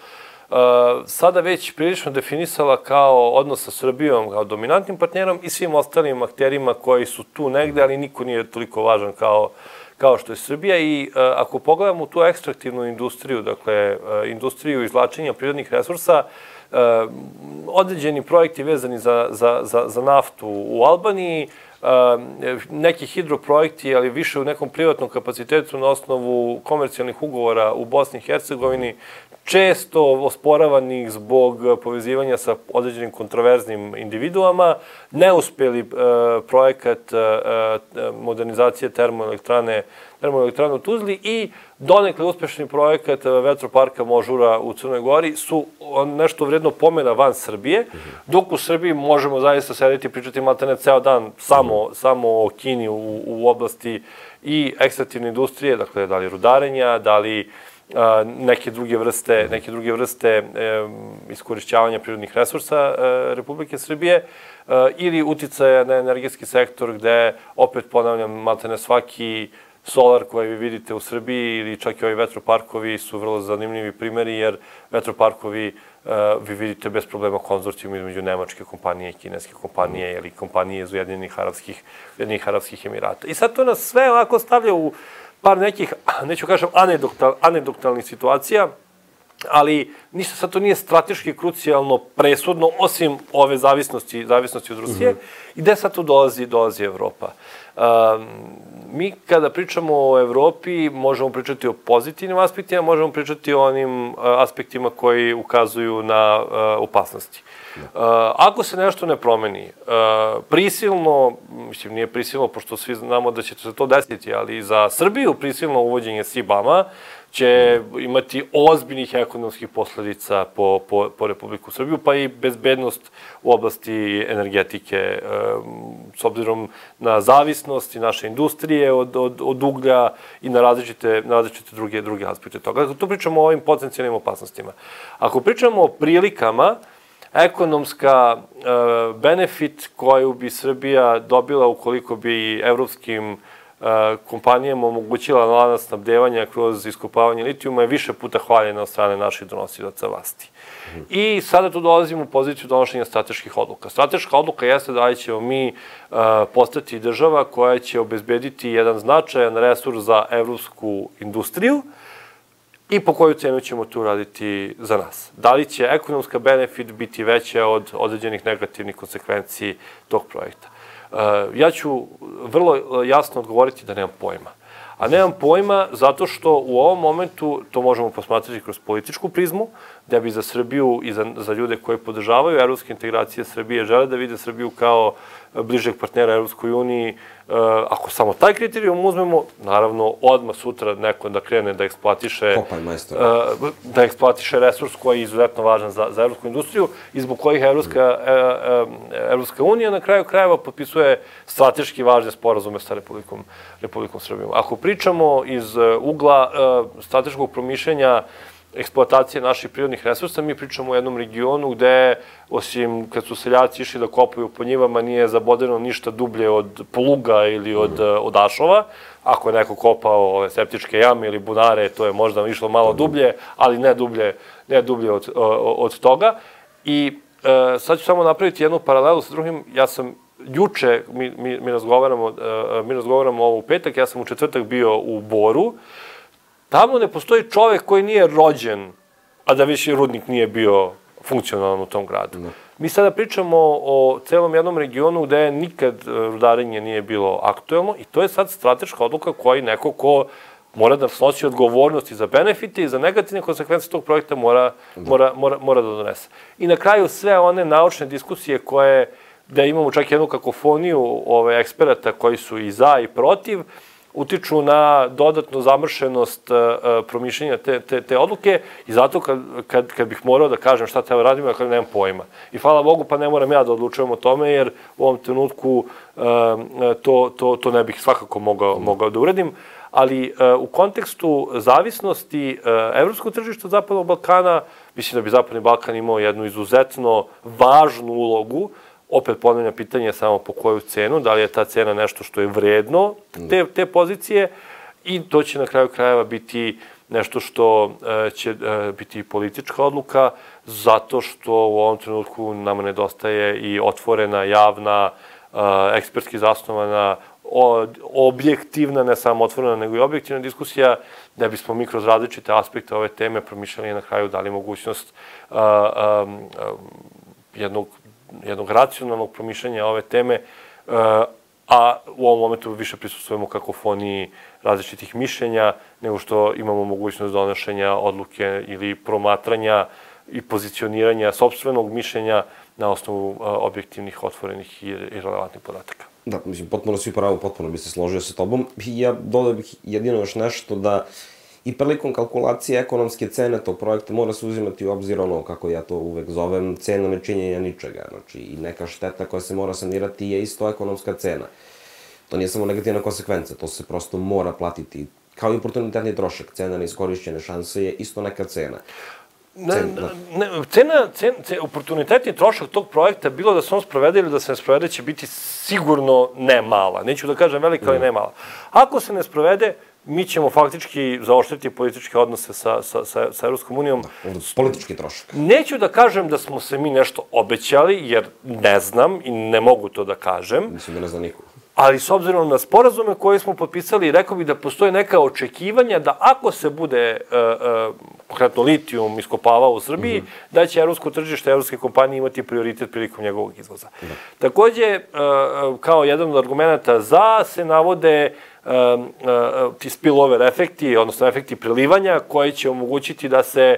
Uh, sada već prilično definisala kao odnos sa Srbijom, kao dominantnim partnerom i svim ostalim akterima koji su tu negde, ali niko nije toliko važan kao, kao što je Srbija. I uh, ako pogledamo tu ekstraktivnu industriju, dakle, uh, industriju izvlačenja prirodnih resursa, uh, određeni projekti vezani za, za, za, za naftu u Albaniji, Uh, neki hidroprojekti, ali više u nekom privatnom kapacitetu na osnovu komercijalnih ugovora u Bosni i Hercegovini, često osporavanih zbog povezivanja sa određenim kontroverznim individuama, neuspeli uh, projekat uh, modernizacije termoelektrane, termoelektrane u Tuzli i donekle uspešni projekat vetroparka Možura u Crnoj Gori su nešto vredno pomena van Srbije, dok u Srbiji možemo zaista sedeti i pričati maltene ceo dan samo, samo o Kini u, u oblasti i ekstraktivne industrije, dakle, da li rudarenja, da li a, neke druge vrste, neke druge vrste e, iskorišćavanja prirodnih resursa e, Republike Srbije, e, ili uticaja na energetski sektor gde, opet ponavljam, maltene svaki solar koji vi vidite u Srbiji ili čak i ovi vetroparkovi su vrlo zanimljivi primjeri, jer vetroparkovi uh, vi vidite bez problema konzorcijum između nemačke kompanije i kineske kompanije ili kompanije iz Ujedinjenih Arapskih, Ujedinjenih Arapskih Emirata. I sad to nas sve ovako stavlja u par nekih, neću kažem, anegdotal, anegdotalnih situacija, ali ništa sad to nije strateški krucijalno presudno, osim ove zavisnosti, zavisnosti od Rusije. Mm -hmm. I gde sad tu dolazi, dolazi Evropa? Um, mi kada pričamo o Evropi, možemo pričati o pozitivnim aspektima, možemo pričati o onim uh, aspektima koji ukazuju na uh, opasnosti. Uh, ako se nešto ne promeni, uh, prisilno, mislim nije prisilno, pošto svi znamo da će se to desiti, ali za Srbiju prisilno uvođenje S I B A-ma će imati ozbiljnih ekonomskih posledica po, po, po Republiku Srbiju, pa i bezbednost u oblasti energetike, um, s obzirom na zavisnost i naše industrije od, od, od uglja i na različite, na različite druge, druge aspekte toga. Dakle, tu pričamo o ovim potencijalnim opasnostima. Ako pričamo o prilikama, ekonomska uh, benefit koju bi Srbija dobila ukoliko bi evropskim kompanijama omogućila lanac snabdevanja kroz iskopavanje litijuma je više puta hvaljena od strane naših donosilaca vlasti. Mm. I sada tu dolazimo u poziciju donošenja strateških odluka. Strateška odluka jeste da li ćemo mi uh, postati država koja će obezbediti jedan značajan resurs za evropsku industriju i po koju cenu ćemo tu raditi za nas. Da li će ekonomska benefit biti veća od određenih negativnih konsekvenciji tog projekta? Uh, ja ću vrlo jasno odgovoriti da nemam pojma. A nemam pojma zato što u ovom momentu to možemo posmatrati kroz političku prizmu, da bi za Srbiju i za, za ljude koji podržavaju evropske integracije Srbije, žele da vide Srbiju kao bližeg partnera Evropskoj uniji. Ako samo taj kriterijum uzmemo, naravno, odmah sutra neko da krene da eksploatiše, da eksploatiše resurs koji je izuzetno važan za, za evropsku industriju i zbog kojih Evropska, Evropska unija na kraju krajeva potpisuje strateški važne sporazume sa Republikom, Republikom Srbijom. Ako pričamo iz ugla strateškog promišljenja eksploatacije naših prirodnih resursa, mi pričamo o jednom regionu gde, osim kad su seljaci išli da kopaju po njivama, nije zabodeno ništa dublje od pluga ili od, od ašova. Ako je neko kopao ove septičke jame ili bunare, to je možda išlo malo dublje, ali ne dublje, ne dublje od, od toga. I e, sad ću samo napraviti jednu paralelu sa drugim. Ja sam juče, mi, mi, mi, razgovaramo, mi razgovaramo ovo u petak, ja sam u četvrtak bio u Boru. Tamo ne postoji čovek koji nije rođen, a da više rudnik nije bio funkcionalan u tom gradu. Ne. Mi sada pričamo o celom jednom regionu gde nikad rudarenje nije bilo aktuelno i to je sad strateška odluka koji neko ko mora da snosi odgovornosti za benefite i za negativne konsekvence tog projekta mora, mora, mora, mora da donese. I na kraju sve one naučne diskusije koje, da imamo čak jednu kakofoniju ove eksperata koji su i za i protiv, utiču na dodatnu zamršenost promišljenja te, te, te odluke i zato kad, kad, kad bih morao da kažem šta treba radimo, ja kad nemam pojma. I hvala Bogu, pa ne moram ja da odlučujem o tome, jer u ovom trenutku to, to, to ne bih svakako mogao, mogao da uradim. Ali u kontekstu zavisnosti evropskog tržišta Zapadnog Balkana, mislim da bi Zapadni Balkan imao jednu izuzetno važnu ulogu. Opet ponavljam pitanje samo po koju cenu, da li je ta cena nešto što je vredno te, te pozicije i to će na kraju krajeva biti nešto što će biti politička odluka, zato što u ovom trenutku nama nedostaje i otvorena, javna, ekspertski zasnovana, objektivna, ne samo otvorena, nego i objektivna diskusija, da bismo mi kroz različite aspekte ove teme promišljali na kraju dali mogućnost a, a, a, jednog, jednog racionalnog promišljanja ove teme, a, a u ovom momentu više prisustujemo kakofoniji različitih mišljenja, nego što imamo mogućnost donošenja odluke ili promatranja i pozicioniranja sopstvenog mišljenja na osnovu a, objektivnih, otvorenih i, i relevantnih podataka. Da, mislim, potpuno svi pravo, potpuno bi se složio sa tobom. I ja dodao bih jedino još nešto da i prilikom kalkulacije ekonomske cene tog projekta mora se uzimati u obzir ono, kako ja to uvek zovem, cena nečinjenja ničega. Znači, i neka šteta koja se mora sanirati je isto ekonomska cena. To nije samo negativna konsekvenca, to se prosto mora platiti. Kao i oportunitetni trošak, cena neiskorišćene šanse je isto neka cena. Ne, ne, cena, cena, cena, oportunitetni trošak tog projekta, bilo da se on sprovede ili da se ne sprovede, će biti sigurno ne mala. Neću da kažem velika, ali ne mala. Ako se ne sprovede, mi ćemo faktički zaoštriti političke odnose sa, sa, sa, sa Evropskom unijom. Da, politički trošak. Neću da kažem da smo se mi nešto obećali, jer ne znam i ne mogu to da kažem. Mislim da ne zna niko. Ali s obzirom na sporazume koje smo potpisali, rekao bih da postoje neka očekivanja da ako se bude uh, uh, konkretno litijum iskopavao u Srbiji, mm -hmm. da će evropsko tržište, evropske kompanije imati prioritet prilikom njegovog izvoza. Da. Takođe, uh, kao jedan od argumenta za se navode uh, uh, ti spillover efekti, odnosno efekti prelivanja, koji će omogućiti da se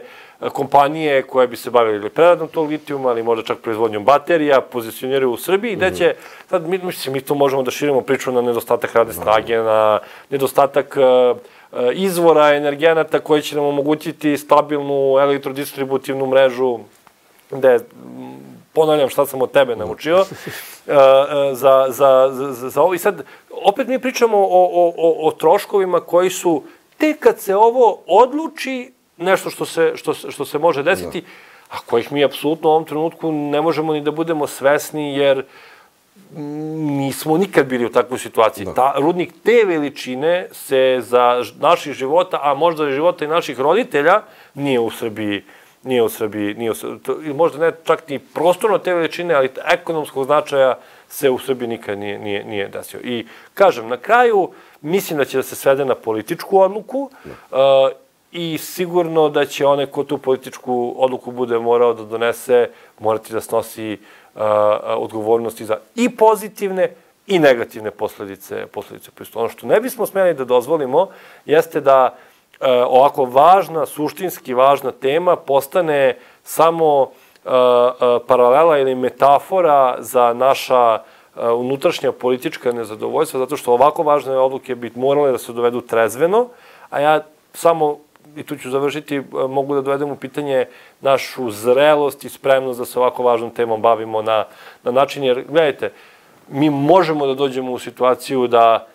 kompanije koje bi se bavili preradom tog litijuma, ali možda čak proizvodnjom baterija, pozicioniraju u Srbiji, gde će, sad mi, mislim, mi to možemo da širimo priču na nedostatak radne snage, na nedostatak uh, izvora energenata koji će nam omogućiti stabilnu elektrodistributivnu mrežu, gde, ponavljam šta sam od tebe naučio, uh, za, za, za, za ovo. I sad, opet mi pričamo o, o, o, o troškovima koji su, tek kad se ovo odluči, nešto što se, što, što se može desiti, a kojih mi apsolutno u ovom trenutku ne možemo ni da budemo svesni, jer nismo nikad bili u takvoj situaciji. Da. Ta, rudnik te veličine se za naših života, a možda i života i naših roditelja, nije u Srbiji, nije u Srbiji, nije u Srbiji, možda ne čak ni prostorno te veličine, ali ekonomskog značaja se u Srbiji nikad nije, nije, nije desio. I kažem, na kraju, mislim da će da se svede na političku odluku, da. Uh, i sigurno da će onaj ko tu političku odluku bude morao da donese, morati da snosi uh, odgovornosti za i pozitivne i negativne posledice, posledice pristupa. Ono što ne bismo smeli da dozvolimo jeste da uh, ovako važna, suštinski važna tema postane samo uh, uh, paralela ili metafora za naša uh, unutrašnja politička nezadovoljstva, zato što ovako važne odluke bi morale da se dovedu trezveno, a ja samo i tu ću završiti, mogu da dovedem u pitanje našu zrelost i spremnost da se ovako važnom temom bavimo na, na način, jer, gledajte, mi možemo da dođemo u situaciju da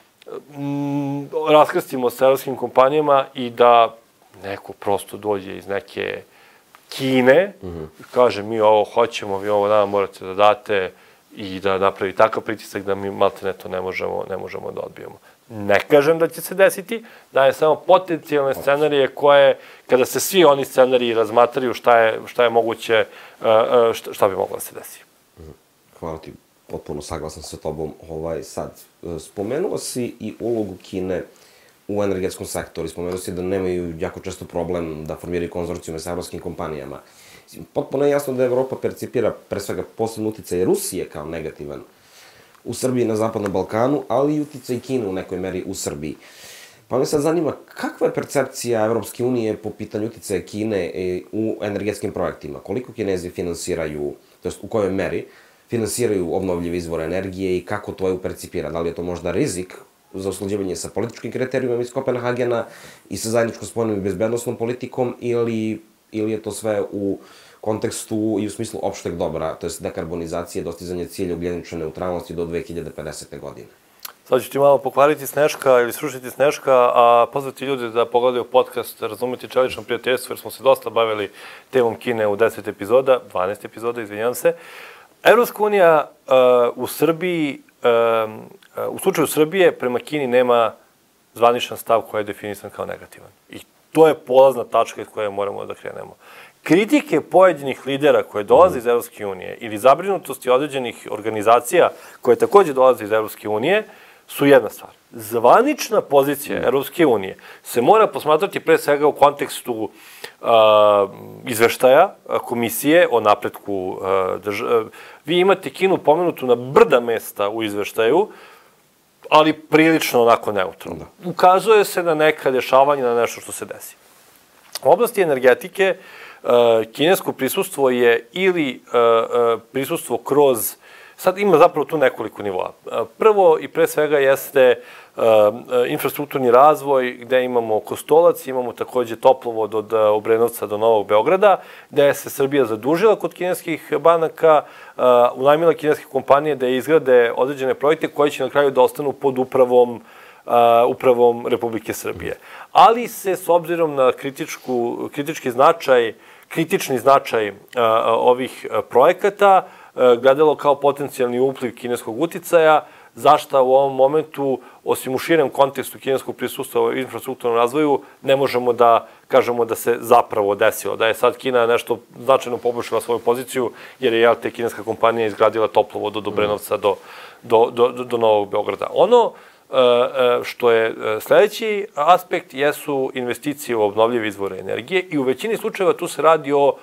mm, raskrstimo sa evropskim kompanijama i da neko prosto dođe iz neke Kine, mm -hmm. kaže mi ovo hoćemo, vi ovo nama morate da date i da napravi takav pritisak da mi maltene to ne možemo, ne možemo da odbijemo. Ne kažem da će se desiti, daje samo potencijalne scenarije koje, kada se svi oni scenariji razmatraju šta je, šta je moguće, šta, šta bi moglo da se desi. Hvala ti, potpuno saglasan sa tobom. Ovaj, sad, spomenuo si i ulogu Kine u energetskom sektoru. Spomenuo si da nemaju jako često problem da formiraju konzorcijume sa evropskim kompanijama. Potpuno je jasno da Evropa percipira pre svega posebno uticaj Rusije kao negativan u Srbiji na Zapadnom Balkanu, ali i uticaj Kine u nekoj meri u Srbiji. Pa me sad zanima, kakva je percepcija Evropske unije po pitanju uticaja Kine u energetskim projektima? Koliko Kinezi finansiraju, to jest u kojoj meri, finansiraju obnovljive izvore energije i kako to je percipira? Da li je to možda rizik za usklađivanje sa političkim kriterijumima iz Kopenhagena i sa zajedničkom spoljnom i bezbednosnom politikom, ili, ili je to sve u kontekstu i u smislu opšteg dobra, to je dekarbonizacije, dostizanje cilja ugljenične neutralnosti do dve hiljade pedesete. godine. Sad ću ti malo pokvariti Sneška ili srušiti Sneška, a pozvati ljude da pogledaju podcast Razumeti čelično prijateljstvo, jer smo se dosta bavili temom Kine u deset epizoda, dvanaest epizoda, izvinjam se. Evropska unija uh, u Srbiji, uh, uh, u slučaju Srbije, prema Kini nema zvaničan stav koji je definisan kao negativan. I to je polazna tačka iz koje moramo da krenemo. Kritike pojedinih lidera koje dolaze iz Evropske unije ili zabrinutosti određenih organizacija koje takođe dolaze iz Evropske unije su jedna stvar. Zvanična pozicija Evropske unije se mora posmatrati pre svega u kontekstu uh, izveštaja komisije o napretku uh, države. Vi imate Kinu pomenutu na brda mesta u izveštaju, ali prilično onako neutralno. Ukazuje se na neka dešavanja, na nešto što se desi. U oblasti energetike uh, kinesko prisustvo je ili uh, uh, prisustvo kroz. Sad ima zapravo tu nekoliko nivoa. Prvo i pre svega jeste uh, infrastrukturni razvoj, gde imamo Kostolac, imamo takođe toplovod od Obrenovca do Novog Beograda, gde se Srbija zadužila kod kineskih banaka, uh, unajmila kineske kompanije da izgrade određene projekte koji će na kraju da ostanu pod upravom Uh, upravom Republike Srbije. Ali se, s obzirom na kritičku, kritički značaj, kritični značaj uh, ovih uh, projekata, gledalo kao potencijalni upliv kineskog uticaja, zašta u ovom momentu, osim u širem kontekstu kineskog prisustva u infrastrukturnom razvoju, ne možemo da kažemo da se zapravo desilo. Da je sad Kina nešto značajno poboljšala svoju poziciju, jer je, jel te, kineska kompanija izgradila toplovod od Obrenovca do, do, do, do Novog Beograda. Ono što je sledeći aspekt jesu investicije u obnovljive izvore energije i u većini slučajeva tu se radi o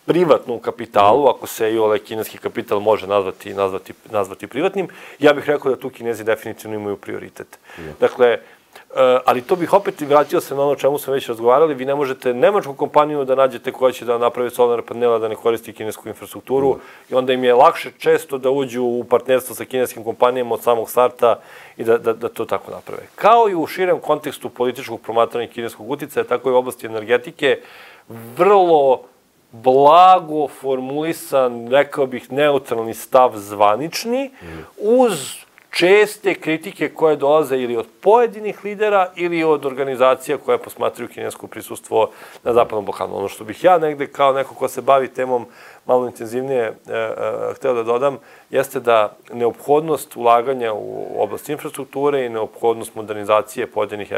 privatnom kapitalu, ako se i ovaj kineski kapital može nazvati, nazvati, nazvati privatnim. Ja bih rekao da tu Kinezi definitivno imaju prioritet. Dakle, ali to bih opet vratio se na ono čemu smo već razgovarali. Vi ne možete nemačku kompaniju da nađete koja će da napravi solarne panela da ne koristi kinesku infrastrukturu i onda im je lakše često da uđu u partnerstvo sa kineskim kompanijama od samog starta i da, da, da to tako naprave. Kao i u širem kontekstu političkog promatranja kineskog uticaja, tako i u oblasti energetike, vrlo blago formulisan, rekao bih, neutralni stav zvanični, uz česte kritike koje dolaze ili od pojedinih lidera ili od organizacija koje posmatraju kinesko prisustvo na Zapadnom Balkanu. Ono što bih ja negde kao neko ko se bavi temom malo intenzivnije e, e, hteo da dodam, jeste da neophodnost ulaganja u oblast infrastrukture i neophodnost modernizacije pojedinih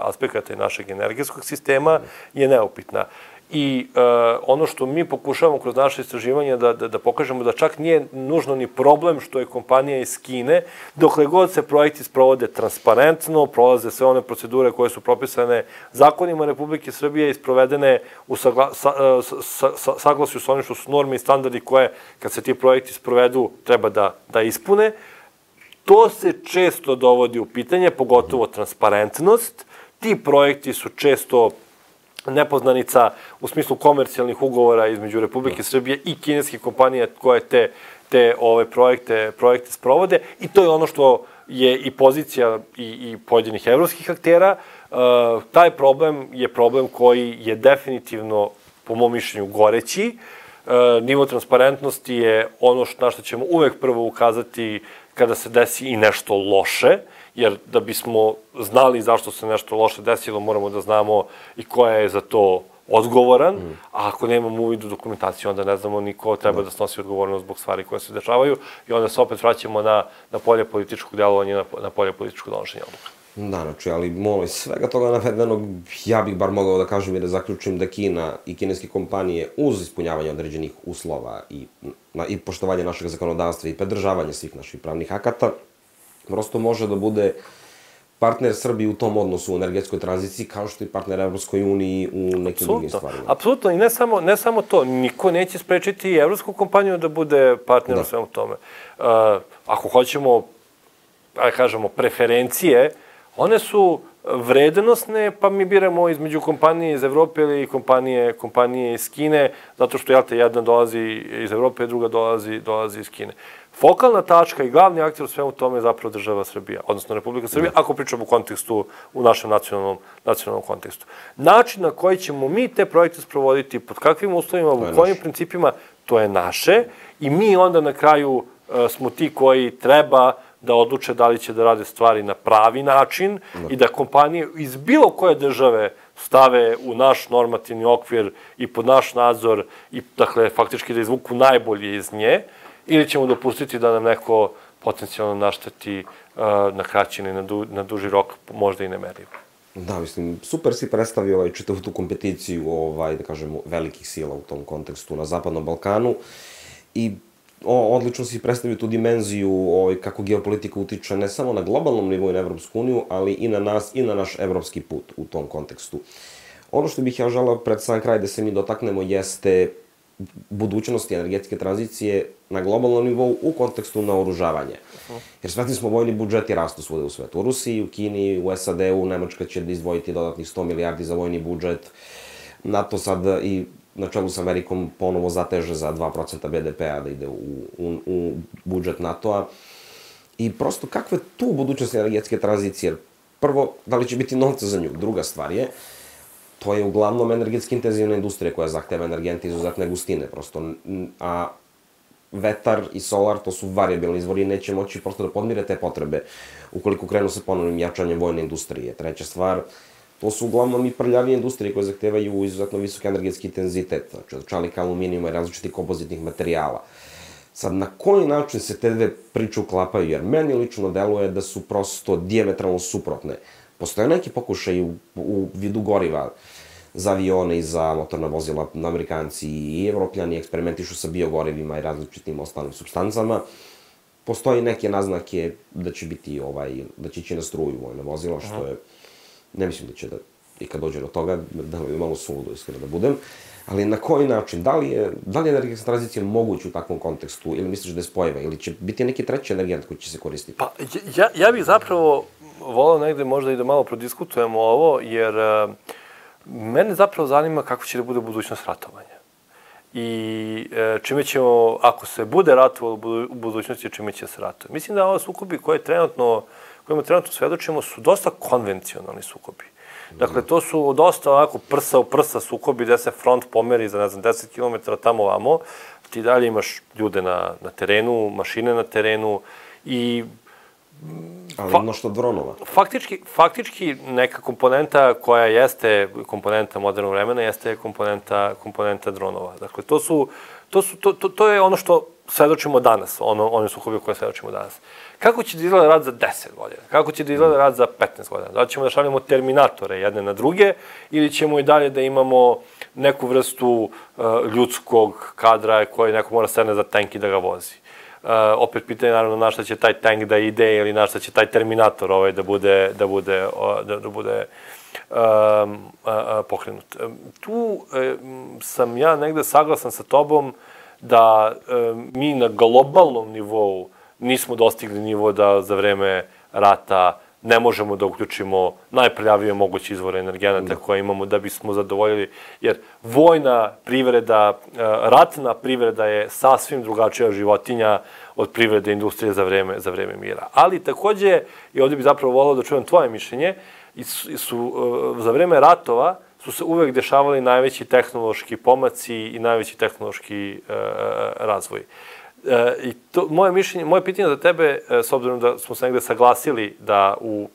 aspekata našeg energetskog sistema je neupitna. I uh, ono što mi pokušavamo kroz naše istraživanja da, da, da pokažemo da čak nije nužno ni problem što je kompanija iz Kine, dokle god se projekti sprovode transparentno, prolaze sve one procedure koje su propisane zakonima Republike Srbije i sprovedene u sagla, sa, sa, sa, saglasju sa onim što su norme i standardi koje, kad se ti projekti sprovedu, treba da, da ispune. To se često dovodi u pitanje, pogotovo transparentnost. Ti projekti su često nepoznanica u smislu komercijalnih ugovora između Republike Srbije i kineskih kompanija koje te, te ove projekte, projekte sprovode i to je ono što je i pozicija i, i pojedinih evropskih aktera. Uh, taj problem je problem koji je definitivno, po mom mišljenju, goreći. Uh, nivo transparentnosti je ono što, na što ćemo uvek prvo ukazati kada se desi i nešto loše, jer da bismo znali zašto se nešto loše desilo, moramo da znamo i ko je za to odgovoran, mm. a ako nemamo uvid u dokumentaciju, onda ne znamo ni ko treba da snosi odgovornost zbog stvari koje se dešavaju i onda se opet vraćamo na, na polje političkog delovanja, na, na polje političkog donošenja odluka. Da, znači, ali molim, svega toga navedenog, ja bih bar mogao da kažem i da zaključim da Kina i kineske kompanije uz ispunjavanje određenih uslova i, na, i poštovanje našeg zakonodavstva i pridržavanje svih naših pravnih akata, prosto može da bude partner Srbiji u tom odnosu u energetskoj tranziciji, kao što i partner Evropskoj uniji u nekim Absolutno. drugim stvarima. Apsolutno, i ne samo, ne samo to, niko neće sprečiti i evropsku kompaniju da bude partner u svemu tome. Uh, ako hoćemo, da kažemo, preferencije, one su vrednosne, pa mi biramo između kompanije iz Evrope ili kompanije, kompanije iz Kine, zato što, jel te, jedna dolazi iz Evrope, druga dolazi, dolazi iz Kine. fokalna tačka i glavni aktor u svemu tome je zapravo država Srbija, odnosno Republika Srbija, ako pričamo u kontekstu, u našem nacionalnom, nacionalnom kontekstu. Način na koji ćemo mi te projekte sprovoditi, pod kakvim uslovima, u kojim principima, to je naše i mi onda na kraju smo ti koji treba da odluče da li će da rade stvari na pravi način i da kompanije iz bilo koje države stave u naš normativni okvir i pod naš nadzor i, dakle, faktički da izvuku najbolje iz nje, ili ćemo dopustiti da nam neko potencijalno našteti na kraći ili na duži rok, možda i nemerljivo. Da, mislim, super si predstavio ovaj, čitavu tu kompeticiju, ovaj, da kažemo, velikih sila u tom kontekstu na Zapadnom Balkanu i o, odlično si predstavio tu dimenziju ovaj, kako geopolitika utiče ne samo na globalnom nivou i na Evropsku uniju, ali i na nas i na naš evropski put u tom kontekstu. Ono što bih ja želao pred sam kraj da se mi dotaknemo jeste budućnosti energetske tranzicije na globalnom nivou u kontekstu naoružavanja. Jer svesni smo, vojni budžeti rastu svude u svetu. U Rusiji, u Kini, u S A D-u, Nemačka će izdvojiti dodatnih sto milijardi za vojni budžet. NATO sad i na čelu sa Amerikom ponovo zateže za dva procenta B D P-a da ide u, u, u budžet NATO-a. I prosto kakve tu budućnosti energetske tranzicije? Prvo, da li će biti novca za nju? Druga stvar je, to je uglavnom energetski intenzivna industrija koja zahteva energente izuzetne gustine, prosto, a vetar i solar, to su variabilni izvori i neće moći prosto da podmire te potrebe ukoliko krenu sa ponovnim jačanjem vojne industrije. Treća stvar, to su uglavnom i prljavije industrije koje zahtevaju izuzetno visok energetski intenzitet, znači od čelika, aluminijuma i različitih kompozitnih materijala. Sad, na koji način se te dve priče uklapaju? Jer meni lično deluje da su prosto dijametralno suprotne. Postoje neki pokušaj u, u vidu goriva za avione i za motorna vozila, Amerikanci i Evropljani eksperimentišu sa biogorivima i različitim ostalim substancama. Postoji neke naznake da će biti ovaj, da će ići na struju vojna vozila, što je, ne mislim da će da, i kad dođe do toga, da li je malo suludo, iskreno da budem, ali na koji način, da li je, da li je energetska tranzicija moguća u takvom kontekstu, ili misliš da je spojiva, ili će biti neki treći energent koji će se koristiti? Pa, ja, ja bih zapravo volao negde možda i da malo prodiskutujemo ovo, jer uh, mene zapravo zanima kako će da bude budućnost ratovanja. I uh, čime ćemo, ako se bude ratovalo u budućnosti, čime će se ratovati. Mislim da ova sukobi koje trenutno, kojima trenutno svedočimo su dosta konvencionalni sukobi. Dakle, to su dosta onako prsa u prsa sukobi gde se front pomeri za, ne znam, deset kilometara tamo vamo. Ti dalje imaš ljude na, na terenu, mašine na terenu i ali ima što dronova. Faktički, faktički neka komponenta koja jeste komponenta modernog vremena jeste komponenta, komponenta dronova. Dakle, to su, to su, to, to, to je ono što svedočimo danas, ono, one sukobi koje svedočimo danas. Kako će da izgleda rad za deset godina? Kako će da izgleda rad za petnaest godina? Da li ćemo da šaljemo terminatore jedne na druge ili ćemo i dalje da imamo neku vrstu uh, ljudskog kadra koji neko mora sedne za tank i da ga vozi? Uh, opet pitanje naravno na šta će taj tank da ide ili na šta će taj terminator ovaj da bude, da bude, da, da bude um, uh, uh, pokrenut. Um, tu um, sam ja negde saglasan sa tobom da um, mi na globalnom nivou nismo dostigli nivo da za vreme rata ne možemo da uključimo najprljavije moguće izvore energenata koje imamo da bismo zadovoljili, jer vojna privreda, ratna privreda je sasvim drugačija životinja od privrede industrije za vreme, za vreme mira. Ali takođe, i ovdje bih zapravo volao da čujem tvoje mišljenje, su, su za vreme ratova su se uvek dešavali najveći tehnološki pomaci i najveći tehnološki uh, razvoj. E, I to, moje mišljenje, moje pitanje za tebe, e, s obzirom da smo se negde saglasili da u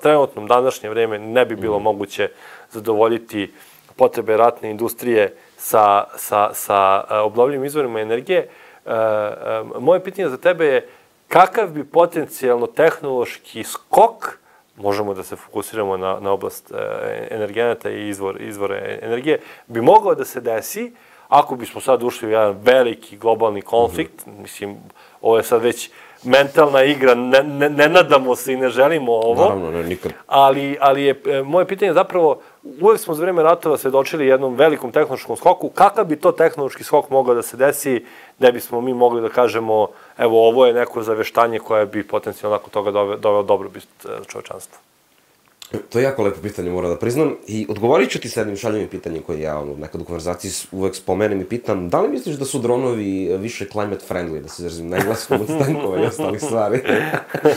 trenutnom današnje vreme ne bi bilo mm. moguće zadovoljiti potrebe ratne industrije sa, sa, sa obnovljivim izvorima energije, e, e, moje pitanje za tebe je kakav bi potencijalno tehnološki skok, možemo da se fokusiramo na, na oblast e, energenata i izvor, izvore energije, bi mogao da se desi ako bismo sad ušli u jedan veliki globalni konflikt. Mm-hmm. Mislim, ovo je sad već mentalna igra, ne, ne, ne nadamo se i ne želimo ovo. Naravno, ne, nikad. Ali, ali je e, moje pitanje zapravo, uvek smo za vreme ratova svedočili jednom velikom tehnološkom skoku. Kakav bi to tehnološki skok mogao da se desi, da bismo mi mogli da kažemo, evo, ovo je neko zaveštanje koje bi potencijalno nakon toga doveo, doveo dobrobit čovečanstva? To je jako lepo pitanje, moram da priznam. I odgovorit ću ti sa jednim šaljivim pitanjem koje ja ono, nekad u konverzaciji uvek spomenem i pitam, da li misliš da su dronovi više climate friendly, da se izrazim na engleskom od tankova i ostalih stvari?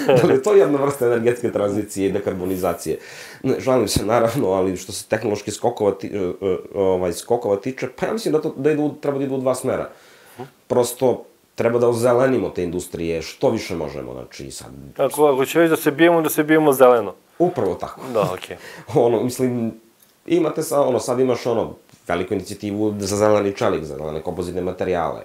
Da li je to jedna vrsta energetske tranzicije i dekarbonizacije? Ne, žalim se naravno, ali što se tehnološki skokova, ti, ovaj, skokova tiče, pa ja mislim da, to, da idu, treba da idu u dva smera. Prosto, treba da ozelenimo te industrije što više možemo, znači sad... Ako, ako će već da se bijemo, da se bijemo zeleno. Upravo tako. Da, okej. Okay. Ono, mislim, imate sa, ono, sad imaš, ono, veliku inicijativu za zeleni čelik, za zelene kompozitne materijale.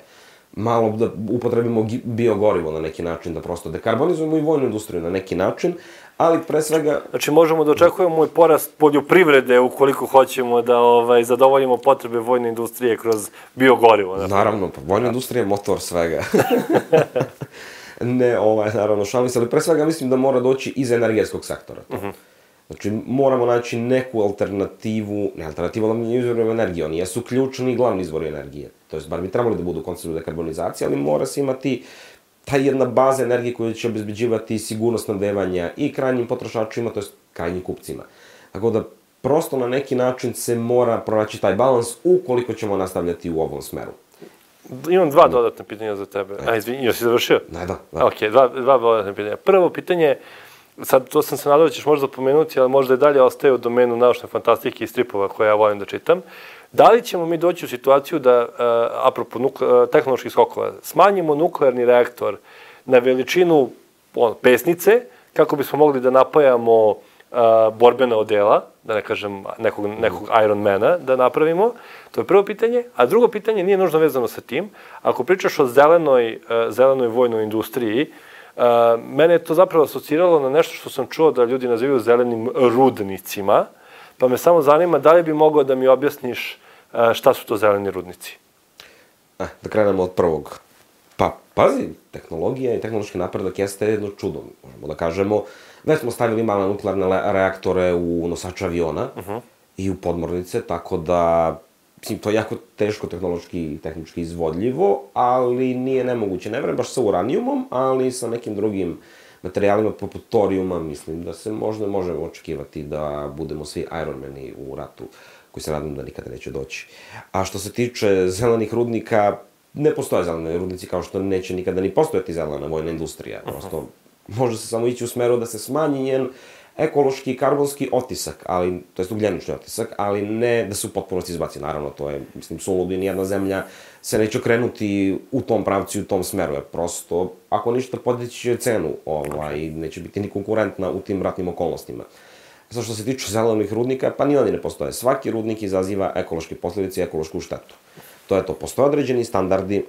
Malo da upotrebimo biogorivo na neki način, da prosto dekarbonizujemo i vojnu industriju na neki način, ali pre svega... Znači, možemo da očekujemo i porast poljoprivrede ukoliko hoćemo da ovaj, zadovoljimo potrebe vojne industrije kroz biogorivo. Naravno, naravno pa vojna industrija je motor svega. Ne, ovaj, naravno, šalim se, ali pre svega mislim da mora doći iz energetskog sektora. To. Uh-huh. Znači, moramo naći neku alternativu, ne alternativu, ali izvorima energije, oni jesu ključni i glavni izvori energije. To jest, bar bi trebali da budu u konceptu dekarbonizacije, ali mora se imati ta jedna baza energije koja će obezbeđivati sigurnost snabdevanja i krajnjim potrošačima, to jest krajnjim kupcima. Tako da, prosto na neki način se mora pronaći taj balans ukoliko ćemo nastavljati u ovom smeru. Imam dva dodatna pitanja za tebe. A, izvini, još si završio? Ne, da, da. Ok, dva, dva dodatna pitanja. Prvo pitanje, sad to sam se nadao da ćeš možda pomenuti, ali možda i dalje ostaje u domenu naučne fantastike i stripova koje ja volim da čitam. Da li ćemo mi doći u situaciju da, uh, apropo nukle, uh, tehnoloških skokova, smanjimo nuklearni reaktor na veličinu on, pesnice, kako bismo mogli da napajamo Uh, borbena odela, da ne kažem nekog, nekog Ironmana da napravimo, to je prvo pitanje, a drugo pitanje nije nužno vezano sa tim. Ako pričaš o zelenoj, uh, zelenoj vojnoj industriji, uh, mene je to zapravo asociralo na nešto što sam čuo da ljudi nazivaju zelenim rudnicima, pa me samo zanima da li bi mogao da mi objasniš uh, šta su to zeleni rudnici? Eh, da krenemo od prvog. Pa, pazi, tehnologija i tehnološki napredak jeste jedno čudo, možemo da kažemo. Već smo stavili male nuklearne reaktore u nosače aviona uh-huh. i u podmornice, tako da, mislim, to je jako teško tehnološki i tehnički izvodljivo, ali nije nemoguće. Ne vrem baš sa uranijumom, ali sa nekim drugim materijalima poput torijuma, mislim da se možda možemo očekivati da budemo svi Ironmani u ratu, koji se nadam da nikada neće doći. A što se tiče zelenih rudnika, ne postoje zelene rudnici kao što neće nikada ni postojati zelena vojna industrija, prosto... Uh-huh. Može se samo ići u smeru da se smanji njen ekološki i karbonski otisak, ali, to jest ugljenični otisak, ali ne da se u potpunosti izbaci. Naravno, to je, mislim, suludo i nijedna zemlja se neće okrenuti u tom pravcu i u tom smeru, jer prosto, ako ništa, podići će cenu, ovaj, neće biti ni konkurentna u tim ratnim okolnostima. Sad što se tiče zelenih rudnika, pa ni oni ne postoje. Svaki rudnik izaziva ekološke posljedice i ekološku štetu. To je to, postoje određeni standardi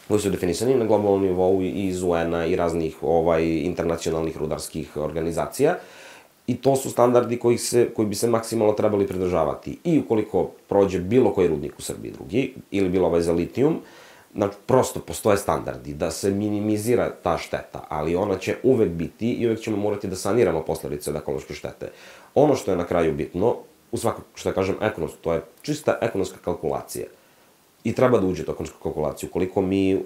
koji su definisani na globalnom nivou i iz U N-a i raznih ovaj, internacionalnih rudarskih organizacija. I to su standardi koji, se, koji bi se maksimalno trebali pridržavati. I ukoliko prođe bilo koji rudnik u Srbiji drugi, ili bilo ovaj za litijum, znači prosto postoje standardi da se minimizira ta šteta, ali ona će uvek biti i uvek ćemo morati da saniramo posledice od ekološke štete. Ono što je na kraju bitno, u svakog, što ja kažem, ekonomsko, to je čista ekonomska kalkulacija. I treba da uđe u ekonomsku kalkulaciju. Koliko mi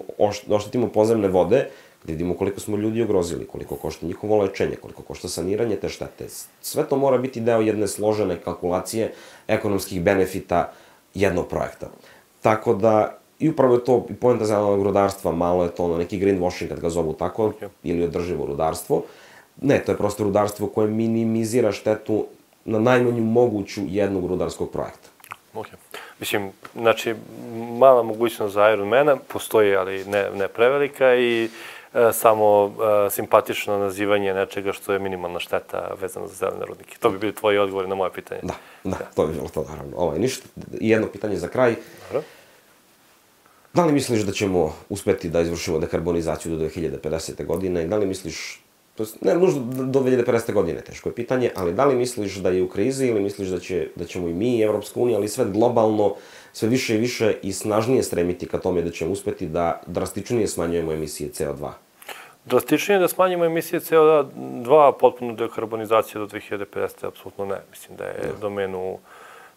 oštetimo podzemne vode, da vidimo koliko smo ljudi ugrozili, koliko košta njihovo lečenje, koliko košta saniranje te štete. Sve to mora biti deo jedne složene kalkulacije ekonomskih benefita jednog projekta. Tako da, i upravo je to i poenta zelenog rudarstva, malo je to ono neki greenwashing, kad ga zovu tako, okay. Ili održivo rudarstvo. Ne, to je prosto rudarstvo koje minimizira štetu na najmanju moguću jednog rudarskog projekta. Ok. Mislim, znači, mala mogućnost za Ironmana postoji, ali ne, ne prevelika i e, samo e, simpatično nazivanje nečega što je minimalna šteta vezana za zelene rudnike. To bi bili tvoji odgovori na moje pitanje. Da, da, ja. To bi bilo to, naravno. Ovo je ništa. I jedno pitanje za kraj. Dobro. Da li misliš da ćemo uspeti da izvršimo dekarbonizaciju do dve hiljade pedesete. godine i da li misliš, to je, ne nužno do dve hiljade pedesete. godine, teško je pitanje, ali da li misliš da je u krizi ili misliš da, će, da ćemo i mi, Evropska unija, ali sve globalno, sve više i više i snažnije stremiti ka tome da ćemo uspeti da drastičnije smanjujemo emisije C O dva? Drastičnije da smanjimo emisije C O dva, potpuno dekarbonizacija do dve hiljade pedesete. apsolutno ne. Mislim da je ja. domenu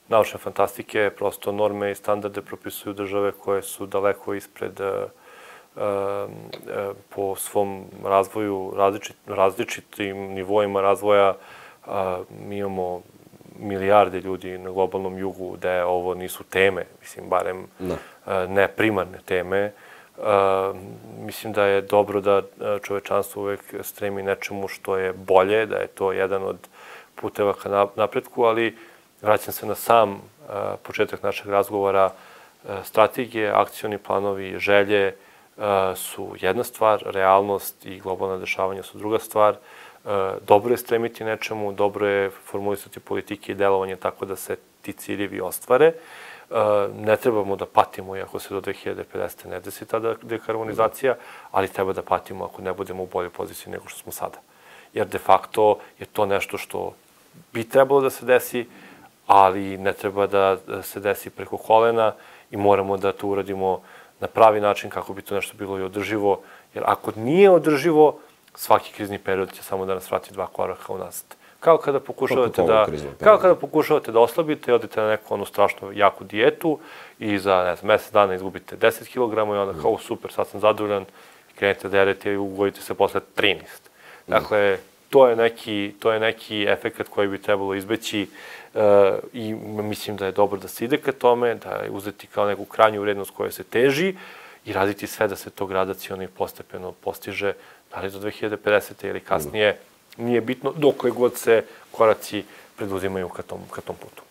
naučne fantastike, prosto norme i standarde propisuju države koje su daleko ispred uh, uh, po svom razvoju, različit, različitim nivoima razvoja mi imamo milijarde ljudi na globalnom jugu gde ovo nisu teme, mislim, barem ne primarne teme. Mislim da je dobro da čovečanstvo uvek stremi nečemu što je bolje, da je to jedan od puteva ka napretku, ali vraćam se na sam početak našeg razgovora. Strategije, akcioni planovi, želje su jedna stvar, realnost i globalna dešavanja su druga stvar. Dobro je stremiti nečemu, dobro je formulisati politike i delovanje tako da se ti ciljevi ostvare. Ne trebamo da patimo iako se do dve hiljade pedesete ne desi ta dekarbonizacija, ali treba da patimo ako ne budemo u boljoj poziciji nego što smo sada. Jer de facto je to nešto što bi trebalo da se desi, ali ne treba da se desi preko kolena i moramo da to uradimo na pravi način kako bi to nešto bilo i održivo. Jer ako nije održivo, svaki krizni period će samo da nas vrati dva koraka unazad. Kao kada pokušavate da, kao kada pokušavate da oslabite, odete na neku onu strašno jaku dijetu i za, ne znam, mesec dana izgubite deset kilograma i onda kao super, sad sam zadovoljan, krenete da jedete i ugodite se posle trinaest. Dakle, to je neki, to je neki efekt koji bi trebalo izbeći i mislim da je dobro da se ide ka tome, da je uzeti kao neku krajnju vrednost koja se teži i raditi sve da se to gradaciono i postepeno postiže, da li do dve hiljade pedesete ili kasnije, nije bitno dok god se koraci preduzimaju ka tom, ka tom putu.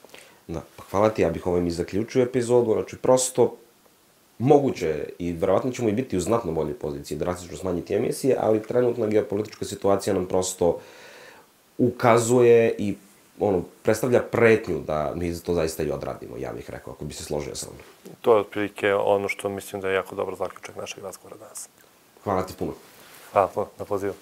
Da, pa hvala ti, ja bih ovim i zaključio epizodu, znači prosto moguće i verovatno ćemo i biti u znatno boljoj poziciji, drastično smanjiti emisije, ali trenutna geopolitička situacija nam prosto ukazuje i ono, predstavlja pretnju da mi to zaista i odradimo, ja bih rekao, ako bi se složio sa mnom. To je otprilike ono što mislim da je jako dobar zaključak našeg razgovora danas. Hvala ti puno. Hvala puno na pozivu.